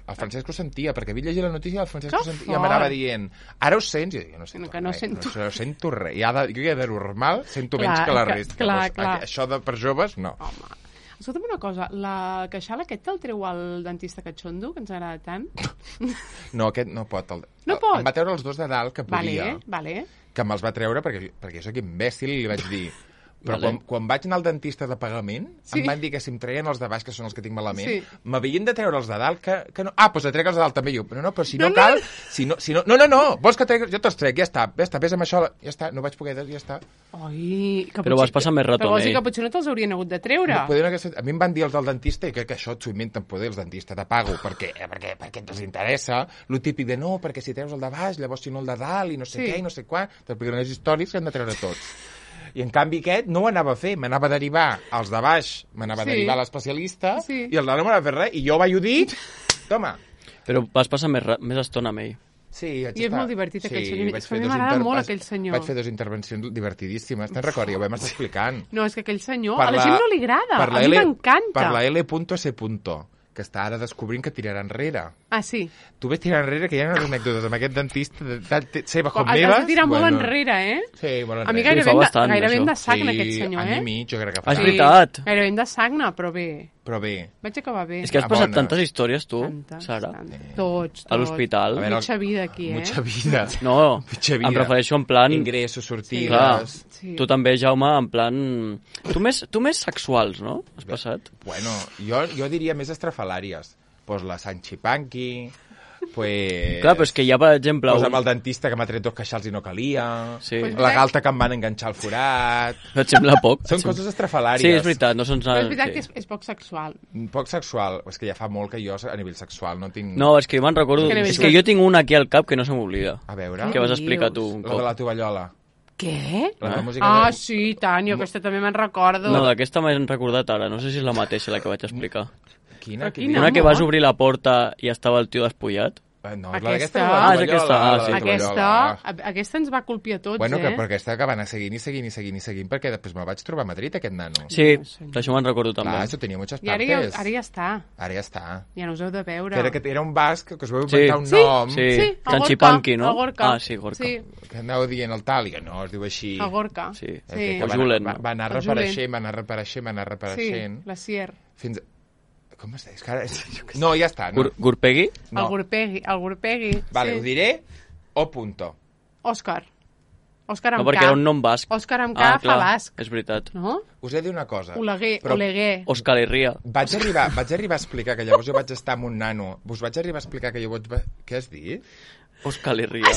El Francesc ho sentia, perquè havia llegit la notícia i el Francesc ho sentia, i m'anava dient, ara ho sents? I jo no sento res. Jo ja de normal sento menys que la resta. Clar. Això per joves, no. Home. Escolta'm una cosa, la queixal aquest te'l treu el dentista catxondo, que ens agrada tant? No, aquest no pot. No pot? Em va treure els dos de dalt, que podia. Vale. Que me'ls va treure perquè jo soc imbècil i li vaig dir... Però quan vaig anar al dentista de pagament, em van dir que si em treien els de baix, que són els que tinc malament, m'havien de treure els de dalt, que no... Ah, doncs et trec els de dalt també. Jo, no, però si no cal... No, vols que trec... Jo te'ls trec, ja està, ves amb això, ja està, no vaig poder, ja està. Ai, però vas passar més rato, però vols dir que potser no te'ls haurien hagut de treure? A mi em van dir els del dentista, i crec que això s'ho inventen poder els dentistes de pago, perquè els interessa, lo típic de no, perquè si treus el de baix, llavors si no el de dalt, i no sé què, i no sé quan, t'expliquen unes històries que han de treure tots. I en canvi aquest no ho anava a fer, m'anava a derivar als de baix, m'anava a derivar a l'especialista, i el de dalt no m'anava a fer res, i jo vaig dir, toma. Però vas passar més estona amb ell. Sí, i és molt divertit aquell senyor. A mi m'agrada molt aquell senyor. Vaig fer 2 intervencions divertidíssimes. Te'n recordes? Ja ho vam estar explicant. No, és que aquell senyor, a la gent no li agrada. A mi m'encanta. Per la L.C. que està ara descobrint que tirarà enrere. Ah, sí? Tu ves tirar enrere, que hi ha unes anècdotes amb aquest dentista seva com meves. Has de tirar molt enrere, eh? Sí, molt enrere. A mi gairebé em de sagna, aquest senyor, Any i mig, jo crec que fa. És veritat. Gairebé em de sagna, però bé. Vaig acabar bé. És que has passat tantes històries, tu, Sara. Tots. A l'hospital. Mucha vida aquí, eh? Mucha vida. No, em refereixo en plan... Ingressos, sortides... Tu també, Jaume, en plan... Tu més sexuals, no? Has passat? Bueno, jo diria més estrafalàries. Pues la Sanchipanqui, pues... Clar, però és que hi ha, per exemple... Pues amb el dentista que m'ha tret 2 queixals i no calia, la galta que em van enganxar al forat... No et sembla poc? Són coses estrafalàries. Sí, és veritat, no són... Però és veritat que és poc sexual. Poc sexual, és que ja fa molt que jo a nivell sexual no tinc... No, és que jo me'n recordo... És que jo tinc una aquí al cap que no se m'oblida. A veure... Que vas explicar tu un cop. La de la tovallola. Què? Sí, tant, jo aquesta també me'n recordo. No, d'aquesta m'he recordat ara, no sé si és la mateixa la que vaig explicar. Quina? Una que vas obrir la porta i estava el tio despullat. No, aquesta... és aquesta ens va colpir a tots, bueno, però aquesta que va anar seguint, perquè després me'l vaig trobar a Madrid, aquest nano. Sí, això me'n recordo també. Clar, això tenia moltes partes. I ara ja està. Ara ja està. Ja no us heu de veure. Era un basc que us vau inventar un nom. Sí, Canchipanqui, no? Gorka. Ah, sí, Gorka. Que anàveu dient el tal, i no, es diu així. El Gorka. Sí. Va anar reapareixent. Sí, la Sier. Fins... Com es deia? No, ja està. No. Gurpegui? No. El Gurpegui. Vale, ho diré o punto. Òscar amb K. No, perquè era un nom basc. Òscar amb K fa basc. És veritat. No? Us he de dir una cosa. Oleguer. Òscar Herria. Vaig arribar a explicar que llavors jo vaig estar amb un nano. Us vaig arribar a explicar que jo vaig... Què has dit? Òscar Herria.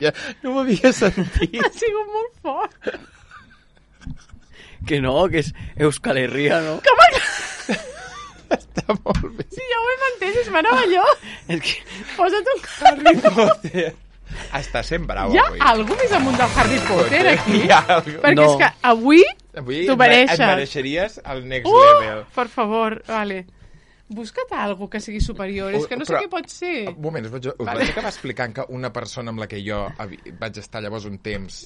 Ja, no m'havia sentit. Ha sigut molt fort. Que no, que és Euskal Herria, no? Està molt bé. Sí, ja ho hem entès, és meravellós. És que... Posa't un Harry Potter. Està sent brau, avui. Hi ha algú més amunt del Harry Potter, aquí? Hi ha algú. Perquè és que avui t'ho mereixes. Et mereixeries el next level. Per favor, vale. Busca't algú que sigui superior, és que no sé què pot ser. Un moment, us vaig acabar explicant que una persona amb la que jo vaig estar llavors un temps,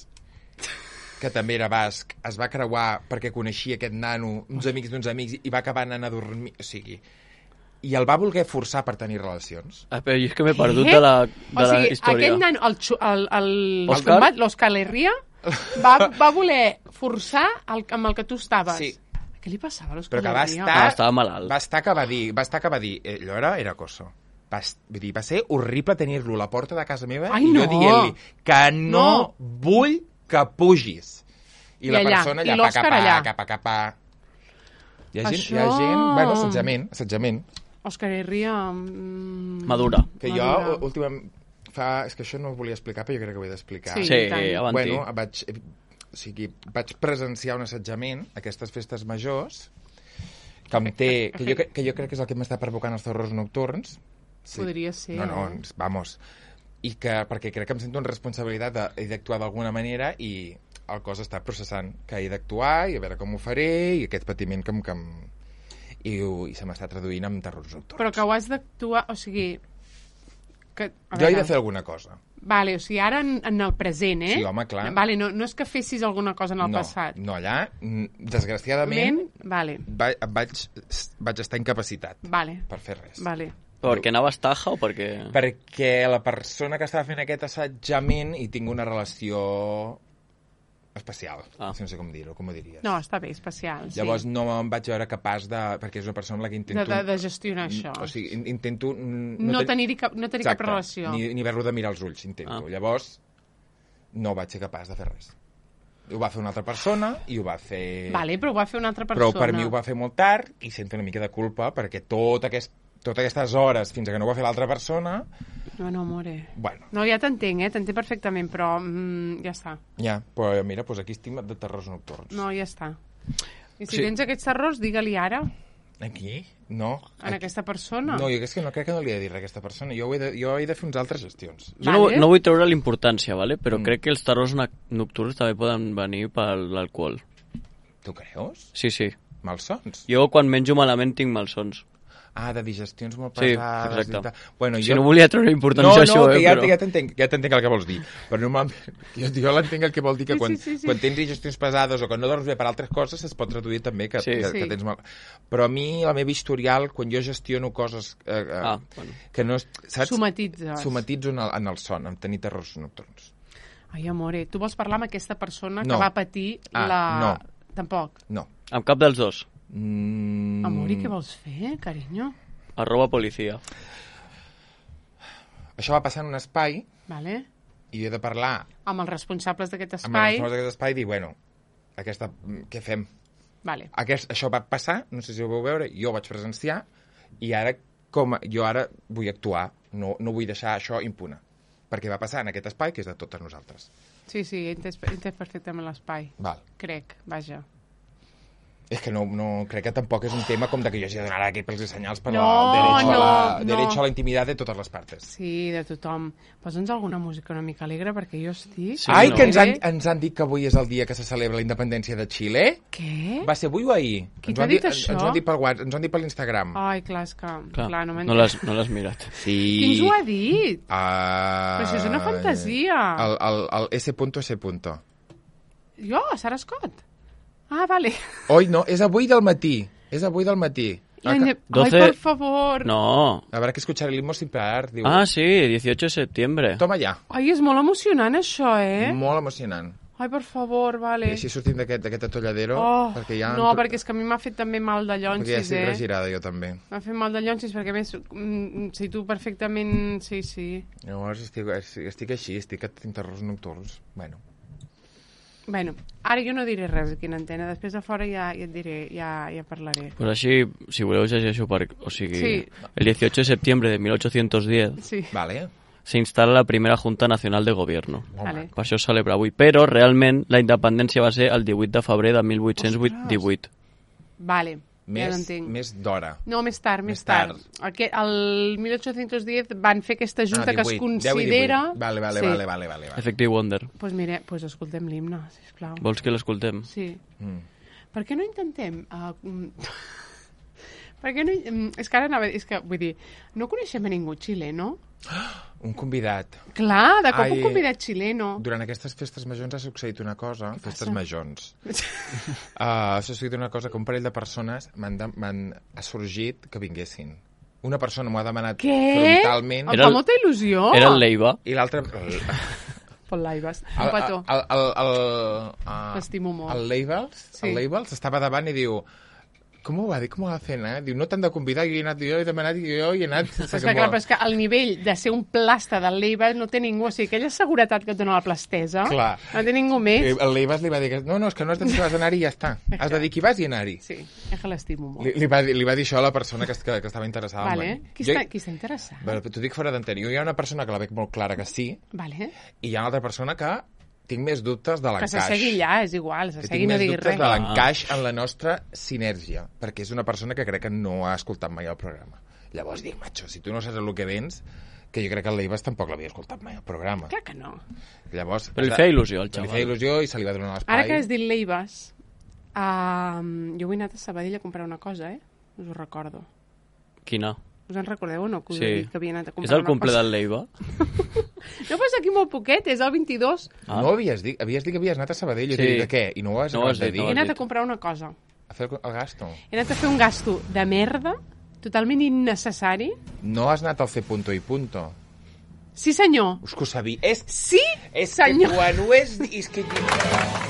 que també era basc, es va creuar perquè coneixia aquest nano, uns amics d'uns amics, i va acabar anant a dormir, o sigui... I el va voler forçar per tenir relacions. Però jo és que m'he perdut de la història. O sigui, aquest nano, l'Òscar Herria, va voler forçar amb el que tu estaves. Sí. Què li passava a l'Òscar Herria? Però que estava malalt. Va estar que va dir, allò era acoso. Va ser horrible tenir-lo a la porta de casa meva i jo dient-li que no vull que pugis. I la persona allà, capa. Hi ha gent, bueno, assetjament. Òscar Herria... Madura. Que jo, últimament, és que això no ho volia explicar, però jo crec que ho he d'explicar. Sí, avanti. Bueno, vaig presenciar un assetjament a aquestes festes majors, que jo crec que és el que m'està provocant els terrors nocturns. Podria ser. No, vamos... I perquè crec que em sento en responsabilitat d'actuar d'alguna manera i el cos està processant que he d'actuar i a veure com ho faré i aquest patiment i se m'està traduint en terrors nocturns. Però que ho has d'actuar, o sigui... Jo he de fer alguna cosa. Vale, o sigui, ara en el present, eh? Sí, home, clar. Vale, no és que fessis alguna cosa en el passat. No, allà, desgraciadament, vaig estar incapacitat per fer res. Vale. Perquè anaves taja o perquè... Perquè la persona que estava fent aquest assetjament hi tinc una relació especial. No sé com dir-ho, com ho diries. No, està bé, especial, sí. Llavors no em vaig veure capaç de... Perquè és una persona amb la que intento... De gestionar això. O sigui, intento... No tenir cap relació. Ni haver-lo de mirar als ulls, intento. Llavors, no vaig ser capaç de fer res. Ho va fer una altra persona i ho va fer... Vale, però ho va fer una altra persona. Però per mi ho va fer molt tard i sento una mica de culpa perquè totes aquestes hores fins que no ho va fer l'altra persona... No, amore. Bueno. No, ja t'entenc, t'entenc perfectament, però ja està. Ja, però mira, doncs aquí estic de terrors nocturns. No, ja està. I si tens aquests terrors, digue-li ara. Aquí? No. Aquesta persona? No, jo no crec que no li he de dir a aquesta persona. Jo he de fer uns altres gestions. Jo no vull treure l'importància, ¿vale? Però crec que els terrors nocturns també poden venir per l'alcohol. Tu creus? Sí. Malsons? Jo quan menjo malament tinc malsons. de digestions molt pesades i tal. Bueno, jo no volia treure importància a això, però... ja t'entenc el que vols dir. Però normalment, jo l'entenc el que vol dir que quan tens digestions pesades o quan no dorms bé per altres coses, es pot traduir també que tens mal. Però a mi, la meva historial, quan jo gestiono coses que no... Saps? Somatitzo en el son, en tenir terrors nocturns. Ai, amore, tu vols parlar amb aquesta persona que va patir la... No. Tampoc? No. Amb cap dels dos? Amor, i què vols fer, carinyo? @policia. Això va passar en un espai i jo he de parlar amb els responsables d'aquest espai. Amb els responsables d'aquest espai i dir, bueno, què fem? Això va passar, no sé si ho vau veure, jo ho vaig presenciar i ara jo vull actuar, no vull deixar això impune, perquè va passar en aquest espai que és de totes nosaltres. Sí, he entès perfectament l'espai. Crec, vaja. És que no crec que tampoc és un tema com de que jo hagi de donar aquí pels senyals per el derecho a la intimitat de totes les parts. Sí, de tothom. Posa'ns alguna música una mica alegre perquè jo estic... Que ens han dit que avui és el dia que se celebra la independència de Xile. Què? Va ser avui o ahir? Qui t'ha dit això? Ens ho han dit pel WhatsApp, ens ho han dit per l'Instagram. Ai, clar, és que... Clar, no no l'has mirat. Sí. Qui ens ho ha dit? Però això és una fantasia. El S.S. Jo, Sara Scott? Ah, vale. Oi, no, és avui del matí. Ai, por favor. No. Habrá que escuchar el himno sin parar. Diu. Ah, sí, 18 de septiembre. Toma ja. Ai, és molt emocionant, això, Molt emocionant. Ai, per favor, vale. I així sortim d'aquest atolladero. Perquè ja no, perquè és que a mi m'ha fet també mal de llonsis, Perquè ja estic regirada, jo també. M'ha fet mal de llonsis, perquè més, si tu perfectament... Sí. Llavors estic així, estic a terrors nocturns. Bueno, ara jo no diré res aquí en antena, després de fora ja et diré, ja parlaré. Pues així, si voleu llegeixo o sigui, el 18 de septiembre de 1810 se instala la primera Junta Nacional de Gobierno. Per això es celebra avui, però realment la independència va ser el 18 de febrer de 1818. Vale. Més d'hora. No, més tard. El 1810 van fer aquesta junta que es considera... Vale. Effective Wonder. Doncs mira, escoltem l'himne, sisplau. Vols que l'escoltem? Sí. Per què no intentem... Per què no... És que ara anava... És que, vull dir, no coneixem a ningú xileno? Un convidat. Clar, de cop un convidat xileno. Durant aquestes festes majors ha succeït una cosa... Festes majors. Ha succeït una cosa que un parell de persones ha sorgit que vinguessin. Una persona m'ho ha demanat frontalment. Em fa molta il·lusió. Era el Leiva. I l'altre... Pol Laibas. Un petó. L'estimo molt. El Leibals estava davant i diu... Com ho va dir? Com ho va fer anar? Diu, no t'han de convidar, jo he demanat i jo he anat... Però és que el nivell de ser un plasta del Leibas no té ningú, o sigui, aquella seguretat que et dona la plastesa, no té ningú més. El Leibas li va dir, no, és que no has de dir que vas anar-hi i ja està. Has de dir que vas i anar-hi. Sí, és que l'estimo molt. Li va dir això a la persona que estava interessada. Vale. Qui està interessat? T'ho dic fora d'antena. Hi ha una persona que la veig molt clara que sí, i hi ha una altra persona que tinc més dubtes de l'encaix. Que s'assegui ja, és igual, s'assegui no digui res. Tinc més dubtes de l'encaix en la nostra sinergia, perquè és una persona que crec que no ha escoltat mai el programa. Llavors dic, macho, si tu no saps el que vens, que jo crec que el Leibas tampoc l'havia escoltat mai el programa. Clar que no. Llavors, però li feia il·lusió, el xaval. Li feia il·lusió i se li va donar l'espai. Ara que has dit Leibas, jo vull anar a Sabadell a comprar una cosa, us ho recordo. Quina? Us en recordeu o no? Que us he dit que havia anat a comprar és el cumple del Leiva? No, pues aquí molt poquet, és el 22. No havies dit que havies anat a Sabadell. Sí. De què? I no ho has de dir? He anat a comprar una cosa. A fer el gasto? He anat a fer un gasto de merda, totalment innecessari. No has anat al fer punto i punto? Sí, senyor. És que ho sabia. Sí, senyor. És que quan ho és...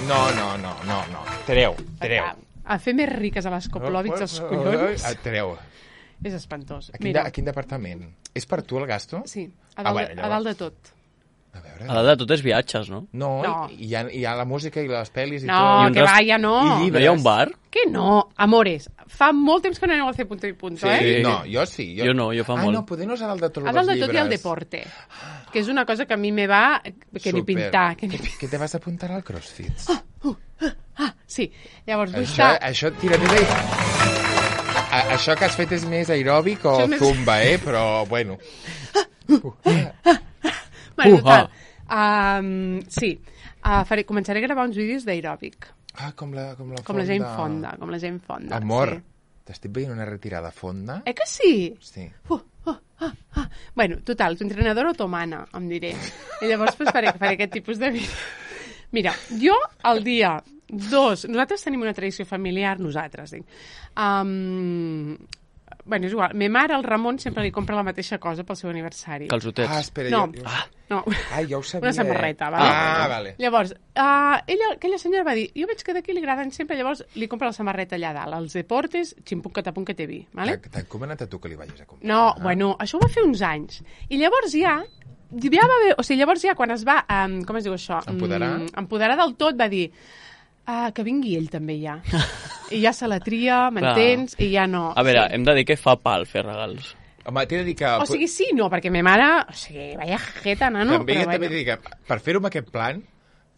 No. Treu. A fer més riques a les Koplòvits, els collons. Treu. És espantós. A quin departament? És per tu el gasto? Sí, a dalt de tot. A dalt de tot és viatges, no? No. Hi ha la música i les pel·lis i tot. No, que va, ja no. No hi ha un bar? Que no, amores. Fa molt temps que no aneu a fer punto i punto, sí. No, jo sí. Jo no, jo fa molt. No, poder no és a dalt de tot els A llibres. dalt de tot hi ha el deporte, que és una cosa que a mi me va... que ni pintar. Que te vas apuntar al CrossFit? Sí, llavors vull estar... Això tira-li... Això que has fet és més aeròbic o zumba, però bueno. Bueno, total. Sí, començaré a gravar uns vídeos d'aeròbic. Com la Jane Fonda. Amor. T'estic veient una retirada fonda. Que sí? Sí. Bueno, total, tu entrenadora otomana, em diré. I llavors pues, faré aquest tipus de vídeo. Mira, jo el dia 2... Nosaltres tenim una tradició familiar, nosaltres, dic. Bueno, és igual. Ma mare, el Ramon, sempre li compra la mateixa cosa pel seu aniversari. Calçotets. Espera, no. Ja ho sabia. Una samarreta, vale? Vale. Llavors, aquella senyora va dir, jo veig que d'aquí li agraden sempre, llavors li compra la samarreta allà dalt, els deportes, ximpuc que té vi, vale? T'han comanat a tu que li vagis a comprar? No, bueno, això ho va fer uns anys. I llavors ja va haver... O sigui, llavors ja quan es va, com es diu això? Empoderar del tot, va dir... que vingui ell també ja. I ja se la tria, m'entens? I ja no. A veure, hem de dir que fa pal fer regals. Home, t'he de dir que... O sigui, sí, no, perquè ma mare... O sigui, vaya jeta, nano. També t'he de dir que per fer-ho amb aquest plan,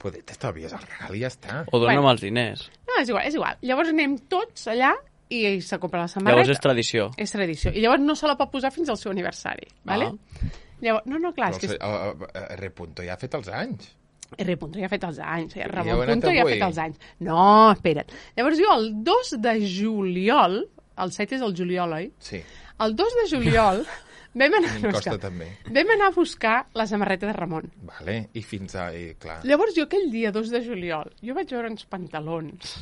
poder t'estalvies el regal i ja està. O dona'm els diners. No, és igual. Llavors anem tots allà i se compra la samarreta. Llavors és tradició. És tradició. I llavors no se la pot posar fins al seu aniversari, vale? Llavors, no, clar, és que... R. ja ha fet els anys. R. ja ha fet els anys. Ramon ja ha fet els anys. No, espera't. Llavors jo el 2 de juliol, el 7 és el juliol, oi? Sí. El 2 de juliol vam anar a buscar la samarreta de Ramon. Vale, i fins a... clar. Llavors jo aquell dia 2 de juliol, jo vaig veure uns pantalons,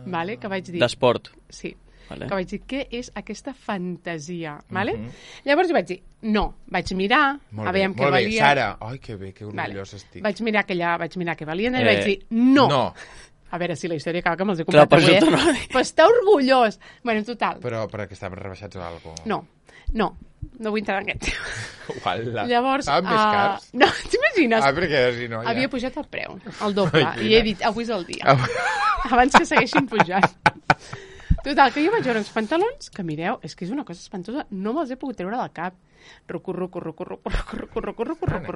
vale, que vaig dir... D'esport. Sí. Vale. Que vaig dir, què és aquesta fantasia? Vale? Llavors jo vaig dir, no, vaig mirar, a veure què valia... Molt bé, Sara, ai, que bé, que orgullós estic. Vaig mirar què valien i vaig dir, no. A veure si la història acaba que me'ls he comprat avui, Però està orgullós. Bueno, total. Però perquè estaven rebaixats o alguna cosa? No vull entrar en aquest tema. Llavors... Estaven més cars? No, t'imagines? Perquè si no... Havia pujat el preu, el doble, i he dit, avui és el dia. Abans que segueixin pujant. Total, que jo vaig veure uns pantalons que, mireu, és que és una cosa espantosa, no me'ls he pogut treure del cap. Rucu.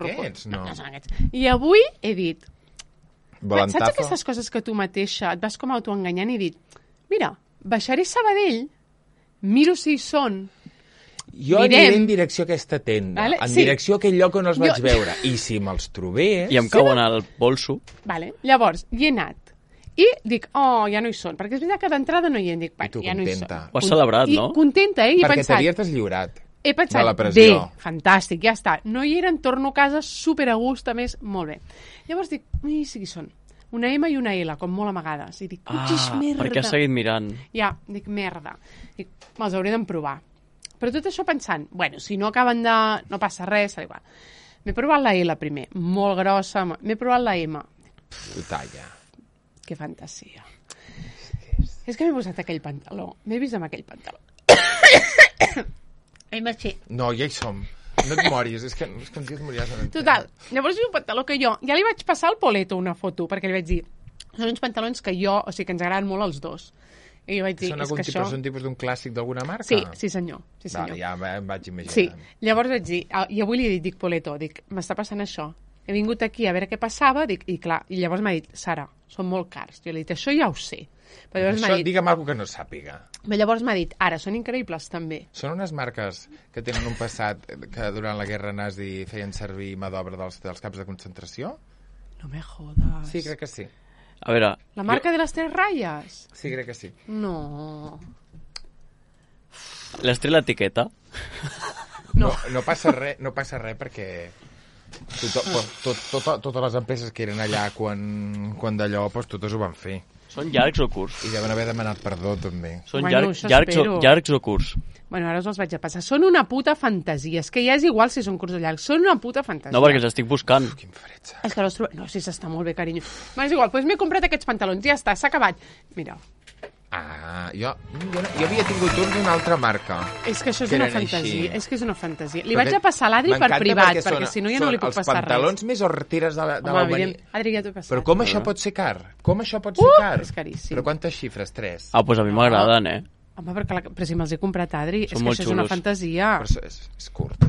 Aquests, no. I avui he dit, saps aquestes coses que tu mateixa et vas com autoenganyant i he dit, mira, baixaré Sabadell, miro si hi són, jo aniré en direcció a aquesta tenda, en direcció a aquell lloc on els vaig veure, i si me'ls trobés... I em cauen al bolso. Llavors, hi he anat. I dic, ja no hi són, perquè és veritat que d'entrada no hi he, dic, ja no hi són. Ho has celebrat, no? I contenta, i he pensat... Perquè t'havies deslliurat de la pressió. Bé, fantàstic, ja està. No hi eren, torno a casa, super a gust, a més, molt bé. Llavors dic, sí que són una M i una L, com molt amagades. I dic, merda. Perquè has seguit mirant. Ja, dic, merda. Dic, me'ls hauré d'emprovar. Però tot això pensant, bueno, si no acaben de... No passa res, serà igual. M'he provat la L primer, molt grossa. M'he provat la M. Talla. Que fantasia. És que m'he posat aquell pantaló. M'he vist amb aquell pantaló. No, ja hi som. No et moris, és que un dia et mories. Total, llavors és un pantaló que jo... Ja li vaig passar al Poleto una foto, perquè li vaig dir, són uns pantalons que jo... O sigui, que ens agraden molt els dos. I jo vaig dir, són tipus d'un clàssic d'alguna marca? Sí, senyor. Vale, ja em vaig imaginar. Sí, llavors vaig dir, i avui li dic Poleto, dic, m'està passant això. He vingut aquí a veure què passava, dic, i clar, i llavors m'ha dit, Sara, són molt cars. Jo li he dit, això ja ho sé. Però això, digue'm alguna cosa que no sàpiga. Però llavors m'ha dit, ara, són increïbles també. Són unes marques que tenen un passat que durant la guerra nazi feien servir mà d'obra dels camps de concentració? No me jodas. Sí, crec que sí. A veure... La marca de les 3 ratlles? Sí, crec que sí. No. Les té l'etiqueta? No passa res perquè... Totes les empreses que eren allà quan d'allò, totes ho van fer. Són llargs o curts? I deuen haver demanat perdó, també. Són llargs o curts? Bueno, ara us els vaig a passar. Són una puta fantasia. És que ja és igual si són curts o llargs. Són una puta fantasia. No, perquè els estic buscant. Quin fred. És que no, sí, s'està molt bé, carinyo. És igual, doncs m'he comprat aquests pantalons. Ja està, s'ha acabat. Mira. Jo havia tingut un d'una altra marca. És que això és una fantasia. És que és una fantasia. Li vaig a passar a l'Adri per privat, perquè si no ja no li puc passar res. Els pantalons més hortires de l'Albany. Adri, ja t'ho he passat. Però com això pot ser car? És caríssim. Però quantes xifres? 3? Doncs a mi m'agraden, Home, però si me'ls he comprat, Adri, és que això és una fantasia. Però és curt.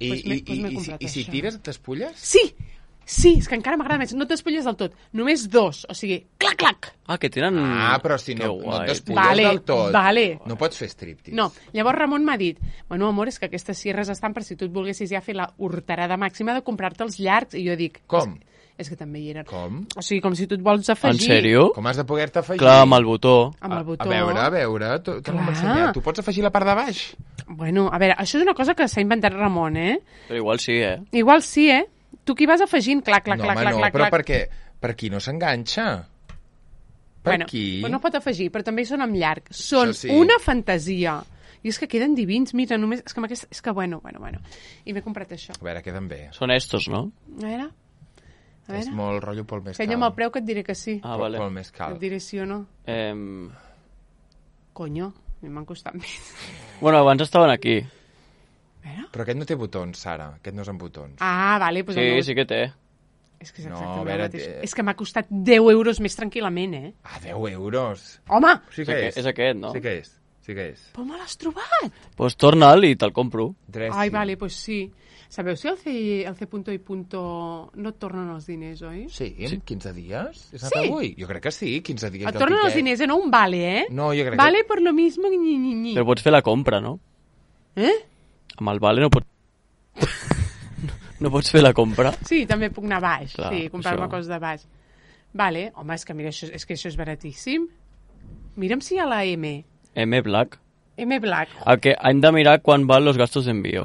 I si tires, t'espulles? Sí, és que encara m'agrada més. No t'espulles del tot. Només 2. O sigui, clac. Que tenen... però si no t'espulles del tot, no pots fer striptease. No. Llavors Ramon m'ha dit, bueno, amor, és que aquestes sierres estan per si tu et volguessis ja fer la horterada màxima de comprar-te els llargs. I jo dic... Com? És que també hi eren. Com? O sigui, com si tu et vols afegir... En sèrio? Com has de poder-te afegir? Clar, amb el botó. Amb el botó. A veure, què m'ho ensenyat? Tu pots afegir la part de baix? Bueno, a veure, això és una cosa que s'ha inventat Ramon, Però igual sí, Igual sí, Tu qui vas afegint, clac, però perquè per qui no s'enganxa? Per qui? Bueno, no pot afegir, però també són amb llarg. Són una fantasia. I és que queden divins, mira, només... És que bueno. I m'he comprat això. A veure, queden bé. Són estos, no? A veure. És molt rotllo Pol Mescal. Senya'm el preu que et diré que sí. Ah, vale. Pol Mescal. Et diré sí o no. Conyo, m'han costat més. Bueno, abans estaven aquí. Però aquest no té botons, Sara. Aquest no és amb botons. Ah, vale. Pues sí que té. És que és exactament el mateix. És que m'ha costat 10 euros més tranquil·lament, Ah, 10 euros? Home! Sí que és. És aquest, no? Sí que és. Però me l'has trobat? Pues torna'l i te'l compro. Ai, vale, pues sí. Sabeu si el C punto i punto no et tornen els diners, oi? Sí, en 15 dies? És anat avui? Jo crec que sí, 15 dies. Et tornen els diners, no un vale, No, jo crec vale per lo mismo, ni. Però pots fer la compra, no? Amb el vale no pots... No pots fer la compra? Sí, també puc anar baix. Clar, sí, comprar-me coses de baix. Vale, home, és que mira, això és baratíssim. Mira'm si hi ha la M. M Black. M Black. El que hem de mirar quan van los gastos d'envío.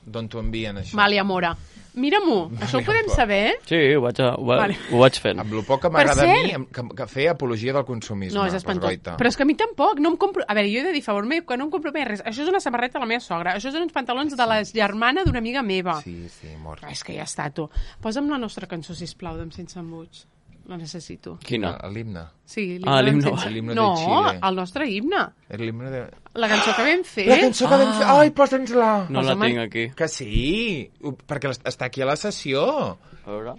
D'on t'ho envien, això. Vale, amora. Mira-m'ho, això ho podem saber? Sí, ho vaig fent. Amb el poc que m'agrada a mi que fer apologia del consumisme. No, és espantós. Però és que a mi tampoc, no em compro... A veure, jo he de dir, favor meu, que no em compro més res. Això és una samarreta de la meva sogra, això són uns pantalons de la germana d'una amiga meva. Sí, mort. És que ja està, tu. Posa'm la nostra cançó, sisplau, d'Em Sense Embuts. La necessito. Quina? L'himne. Sí, l'himne. L'himne no, de Xile. el nostre himne. L'himne de... La cançó que vam fer. La cançó que vam fer. Ai, posa'ns-la. No la tinc aquí. Que sí, perquè està aquí a la sessió. A veure.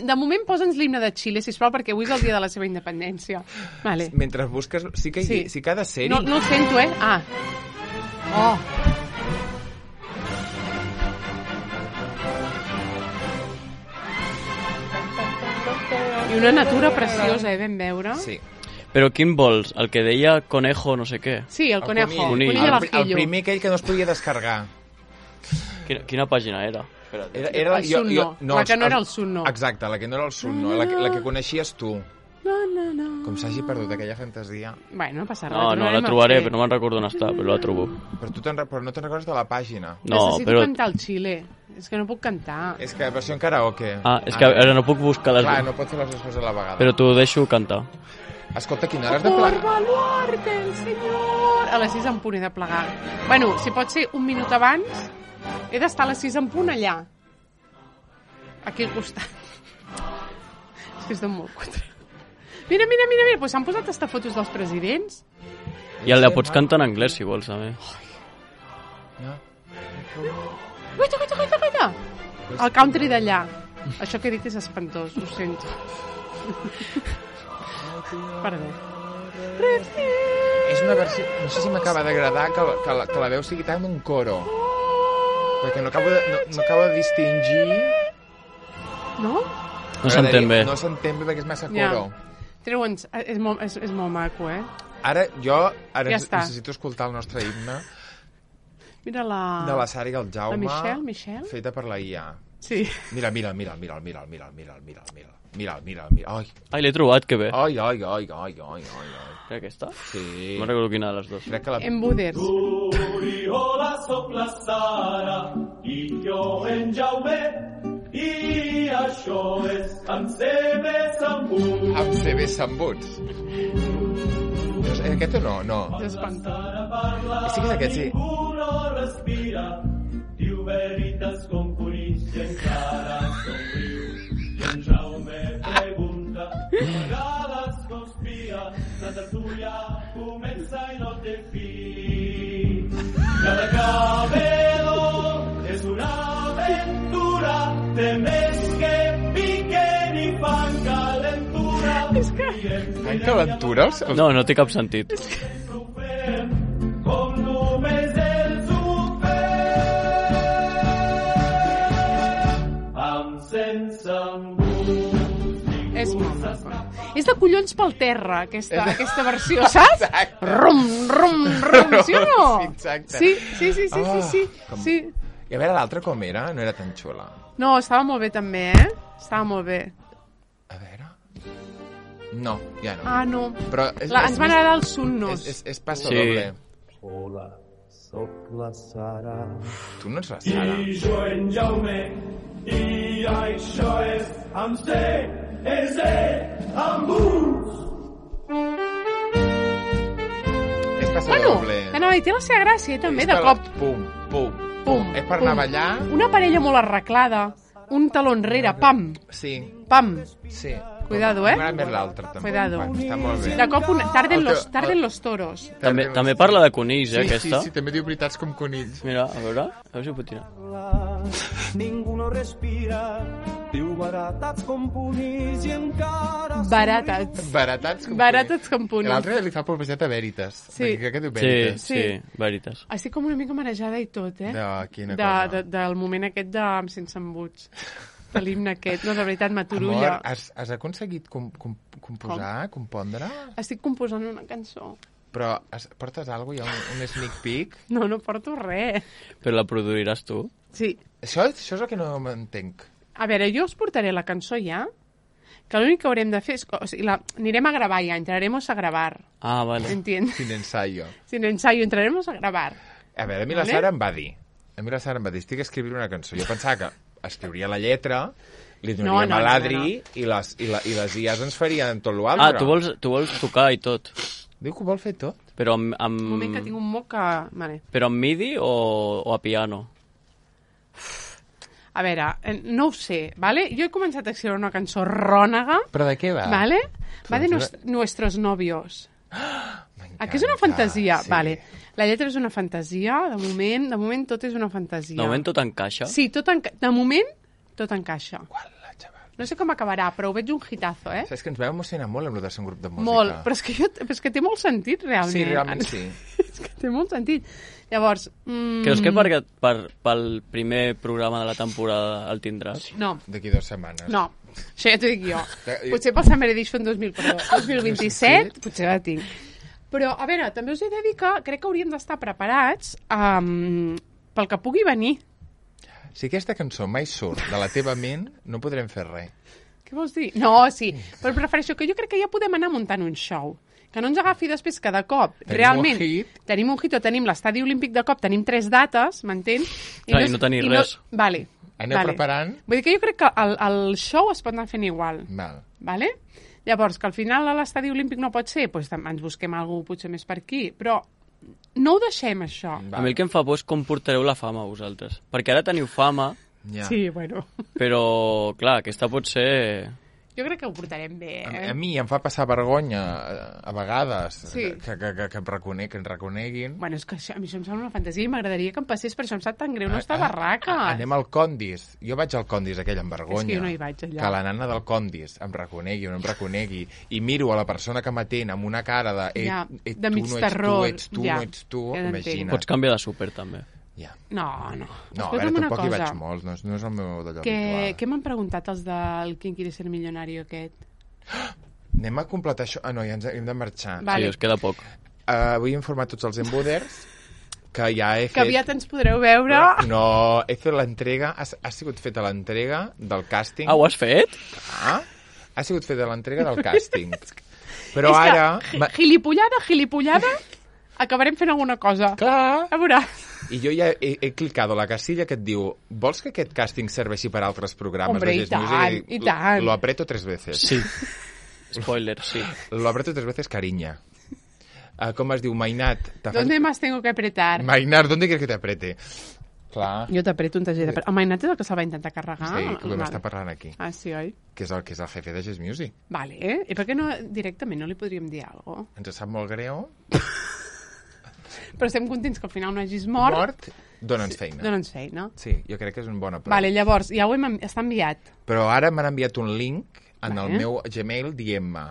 De moment posa'ns l'himne de Xile, sisplau, perquè avui és el dia de la seva independència. Vale. Mentre busques... Sí que ha de ser-hi. No el sento, Ah. Oh. I una natura preciosa, vam veure. Sí. Però quin vols? El que deia conejo no sé què? Sí, el conejo. El primer aquell que no es podia descarregar. Quina pàgina era? Era el Sunno. La que no era el Sunno. Exacte, la que no era el Sunno. La que coneixies tu. No. Com s'hagi perdut aquella fantasia. Bueno, no passa res. No, la trobaré, però no me'n recordo on està, però la trobo. Però no te'n recordes de la pàgina. Necessito cantar el Xile. És que no puc cantar. És que versió en karaoke. És que ara no puc buscar les... Clar, no pots fer les dues coses a la vegada. Però t'ho deixo cantar. Escolta, quina hora has de plegar? Por baluarte, el senyor! A les 6 en punt he de plegar. Bueno, si pot ser un minut abans, he d'estar a les 6 en punt allà. Aquí al costat. És que estan molt quatre. Mira, pues s'han posat hasta fotos dels presidents. I la pots cantar en anglès, si vols, també. Guaita! El country d'allà. Això que he dit és espantós, ho sento. Perdó. És una versió... No sé si m'acaba d'agradar que la veu sigui tan un coro. Perquè no acabo de distingir... No? No s'entén bé. No s'entén bé perquè és massa coro. Treua'ns, és molt maco, Ara necessito escoltar el nostre himne. Mira de la Sara i el Jaume. La Michelle. Feta per la IA. Sí. Mira. Ai, l'he trobat, que bé. Ai. Era aquesta? Sí. No recordo quina de les dues. Embuders. Hola, soc la Sara i jo en Jaume i això és amb CB Sambuts. Amb CB Sambuts. Aquest o no? No. És espantós. Sí que és aquest, sí. Uno respira, diu veritats com conills i encara somriu. I en Jaume pregunta, a vegades conspira, la tertúlia comença i no té fi. Cada cabedor és una aventura, té més que piquen i fan calentura. Fan calentura? No té cap sentit. Com només ells ho amb sense embuts. És molt maco. És de collons pel terra, aquesta versió, saps? Rum, sí o no? Exacte. Sí. I a veure, l'altra com era? No era tan xula. No, estava molt bé també, Estava molt bé. A veure... No, ja no. Ah, no. Però ens van agradar els Sunnos. És passo doble. Hola, soc la Sara. Tu no ets la Sara. I jo en Jaume, i això és amb C, és E, amb uns. És passo doble. Anava a dir, té la seva gràcia, també, de cop. Pum, pum, pum. És per anar a ballar. Una parella molt arreglada, un taló enrere, pam. Sí. Pam. Sí. Cuidado, M'agrada més l'altre, també. Cuidado. Està molt bé. De cop tarden los toros. També parla de conills, aquesta. Sí, també diu veritats com conills. Mira, a veure si ho pot tirar. Ningú no respira, diu baratats com punís i encara... Baratats com punís. L'altre li fa publicitat a Veritas. Sí. Crec que diu Veritas. Sí, Veritas. Estic com una mica marejada i tot, quina cosa. Del moment aquest de Sense embuts. De l'himne aquest, no, de veritat, m'aturulla. Amor, has aconseguit composar, compondre? Estic composant una cançó. Però portes alguna cosa? Hi ha un sneak peek? No porto res. Però la produiràs tu? Sí. Això és el que no m'entenc. A veure, jo us portaré la cançó ja, que l'únic que haurem de fer és... O sigui, anirem a gravar ja, entraremos a gravar. Ah, vale. ¿Entiendes? Sin ensayo. Sin ensayo, entraremos a gravar. A veure, a mi la Sara em va dir, estic escrivint una cançó. Jo pensava que escriuria la lletra, li donaríem a l'Adri i les IAs ens farien tot l'altre. Ah, tu vols tocar i tot. Diu que ho vol fer tot. Però Un moment que tinc un moc que... Vale. Però amb MIDI o a piano? A veure, no ho sé, ¿vale? Jo he començat a escriure una cançó rònega. Però de què va? ¿Vale? Va de nuestros novios. Que és una fantasia? Sí. Vale. La lletra és una fantasia, de moment tot és una fantasia. De moment tot encaixa? Sí, de moment tot encaixa. No sé com acabarà, però ho veig un hitazo, Saps que ens vam emocionar molt amb el de ser un grup de música. Molt, però és que té molt sentit, realment. Sí, realment sí. És que té molt sentit. Llavors... Creus que pel primer programa de la temporada el tindràs? No. D'aquí 2 setmanes. No, això ja t'ho dic jo. Potser pel Summer Edition 2027, potser la tinc. Però, a veure, també us he de dir que crec que hauríem d'estar preparats pel que pugui venir. Si aquesta cançó mai surt de la teva ment, no podrem fer res. Què vols dir? No, sí, però prefereixo que jo crec que ja podem anar muntant un show. Que no ens agafi després que de cop, realment, tenim un hit o tenim l'estadi olímpic de cop, tenim 3 dates, m'entens? I no tenir res. Vale. Aneu preparant. Vull dir que jo crec que el show es pot anar fent igual. Vale? Llavors, que al final a l'estadi olímpic no pot ser, doncs ens busquem algú potser més per aquí, però no ho deixem, això. A mi el que em fa por és com portareu la fama, vosaltres. Perquè ara teniu fama... Sí, bueno. Però, clar, aquesta pot ser... Jo crec que ho portarem bé, A mi em fa passar vergonya, a vegades, que ens reconeguin. Bueno, és que a mi això em sembla una fantasia i m'agradaria que em passés, per això em sap tan greu no estar barraca. Anem al Condis. Jo vaig al Condis aquell amb vergonya. És que jo no hi vaig allà. Que la nana del Condis em reconegui o no em reconegui i miro a la persona que m'atén amb una cara de de mig terror. Ets tu, imagina't. Pots canviar de súper, també. No. No, a veure, tampoc hi vaig molt, no és el meu d'allò habitual. Què m'han preguntat els del Quien quiere ser millonario aquest? Anem a completar això. No, ja ens hem de marxar. Vale. Sí, us queda poc. Vull informar tots els embuders que ja he fet... Que aviat ens podreu veure. No, he fet l'entrega, ha sigut feta l'entrega del càsting. Ah, ho has fet? Ha sigut feta l'entrega del càsting. Però ara... Gilipollada, acabarem fent alguna cosa. Clar. A veuràs. I jo ja he clicat a la casilla que et diu vols que aquest càsting serveixi per a altres programes? Hombre, i tant. Lo aprieto 3 veces. Sí. Spoiler, sí. Lo aprieto 3 veces, cariña. Com es diu? Mainat. ¿Dónde más tengo que apretar? Mainat, ¿dónde quieres que te apriete? Clar. Jo t'apreto un taller de... El Mainat és el que se'l va intentar carregar? Sí, que ho vam estar parlant aquí. Ah, sí, oi? Que és el jefe de Jazz Music. Vale, I per què no directament no li podríem dir alguna cosa? Ens sap molt greu. Però estem contents que al final no hagis mort. Dona'ns feina. Dona'ns feina. Sí, jo crec que és un bon prova. Vale, llavors, ja ho està enviat. Però ara m'han enviat un link en el meu Gmail dient-me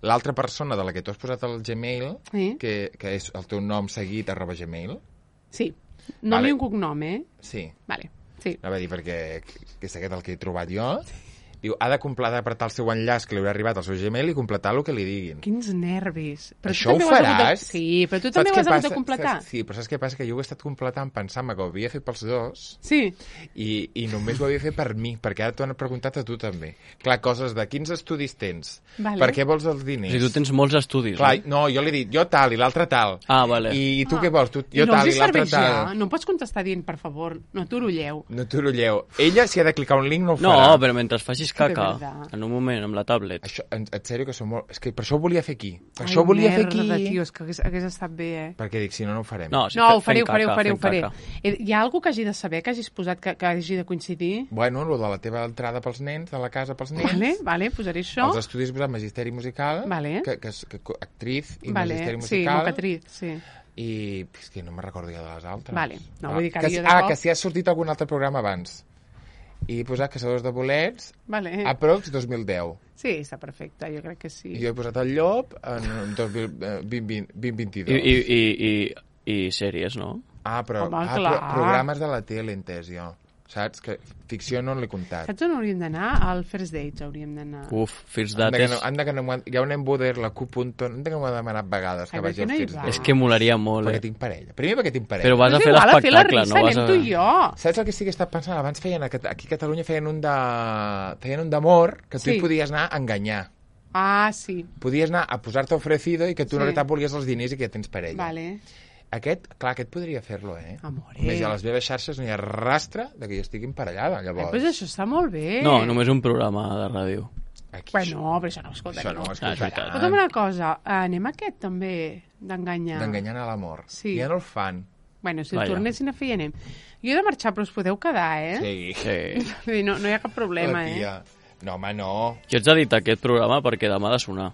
l'altra persona de la que tu has posat al Gmail, que és el teu nom seguit @gmail. Sí, nom i un cognom, Sí. Vale, sí. Anava a dir perquè és aquest el que he trobat jo. Diu, ha d'apretar el seu enllaç que li haurà arribat al seu Gmail i completar el que li diguin. Quins nervis. Però això ho faràs? Sí, però tu també ho has hagut de completar. Sí, però saps què passa? Que jo ho he estat completant pensant que ho havia fet pels dos i només ho havia fet per mi, perquè ara t'ho han preguntat a tu també. Clar, coses de quins estudis tens? Per què vols els diners? Si tu tens molts estudis, no, jo li he dit, jo tal, i l'altre tal. Vale. I tu què vols? Jo tal, i l'altre tal. No pots contestar dient, per favor, no t'orolleu. No t'orolleu. Ella, si ha de clicar un link, no ho farà. No, però mentre facis caca, en un moment, amb la tablet. Això, en sèrio, que som molt... És que per això ho volia fer aquí. Per això ho volia fer aquí. Tio, és que hagués estat bé, Perquè dic, si no, no ho farem. No, ho faré. Hi ha algú que hagi de saber, que hagis posat, que hagi de coincidir? Bueno, lo de la teva entrada pels nens, de la casa pels nens. Vale, posaré això. Els estudis de magisteri musical, actriz i magisteri musical. Sí, mocatriz, sí. I és que no me'n recordo ja de les altres. Vale, no vull dir que que si has sortit algun altre programa abans. I he posat Caçadors de bolets, aprox 2010. Sí, està perfecte, jo crec que sí. I jo he posat el Llop en 2022. I sèries, no? Però programes de la tele, entès jo. Saps? Que ficció no l'he comptat. Saps on hauríem d'anar? Al First Dates hauríem d'anar. First Dates. Hi ha un emboder, la Q.to, no que m'ho ha demanat vegades que vagi al First Dates. És que molaria molt, Perquè tinc parella. Primer perquè tinc parella. Però vas a fer l'espectacle, no? Anem tu i jo. Saps el que sí que he estat pensant? Abans feien, aquí a Catalunya feien un d'amor, que tu hi podies anar a enganyar. Sí. Podies anar a posar-te ofrecido i que tu en realitat volies els diners i que ja tens parella. Vale. Aquest podria fer-lo, Amore. Més a les meves xarxes no hi ha rastre de que jo estigui emparellada, llavors. Pues això està molt bé. No, només un programa de ràdio. Bueno, però això no ho escoltaré. Això no ho escoltarà. Escolta'm una cosa, anem a aquest també, d'enganyar. D'enganyant a l'amor. Sí. Ja no el fan. Bueno, si el tornessin a fer, ja anem. Jo he de marxar, però us podeu quedar, Sí. No hi ha cap problema, No, home, no. Jo ets dit aquest programa perquè demà ha de sonar.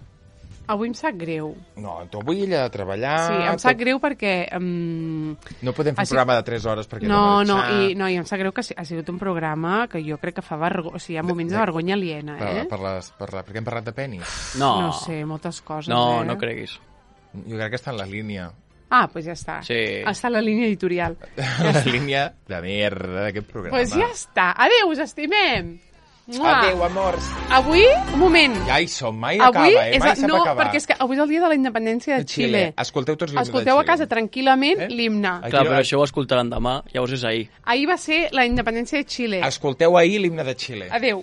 Avui em sap greu. No, tu avui ella ha de treballar... Sí, em sap greu perquè... No podem fer un programa de 3 hores perquè no, i em sap greu que ha sigut un programa que jo crec que fa vergonya... O sigui, hi ha moments de vergonya aliena, Perquè hem parlat de penis? No sé, moltes coses, No creguis. Jo crec que està en la línia. Doncs ja està. Sí. Està en la línia editorial. La línia de merda d'aquest programa. Doncs ja està. Adéu, us estimem. Adéu, amors. Avui, un moment. Ja hi som, mai acaba, mai sap acabar. No, perquè és que avui és el dia de la independència de Xile. Escolteu tots l'himne de Xile. Escolteu a casa tranquil·lament l'himne. Clar, però això ho escoltaran demà, llavors és ahir. Ahir va ser la independència de Xile. Escolteu ahir l'himne de Xile. Adéu.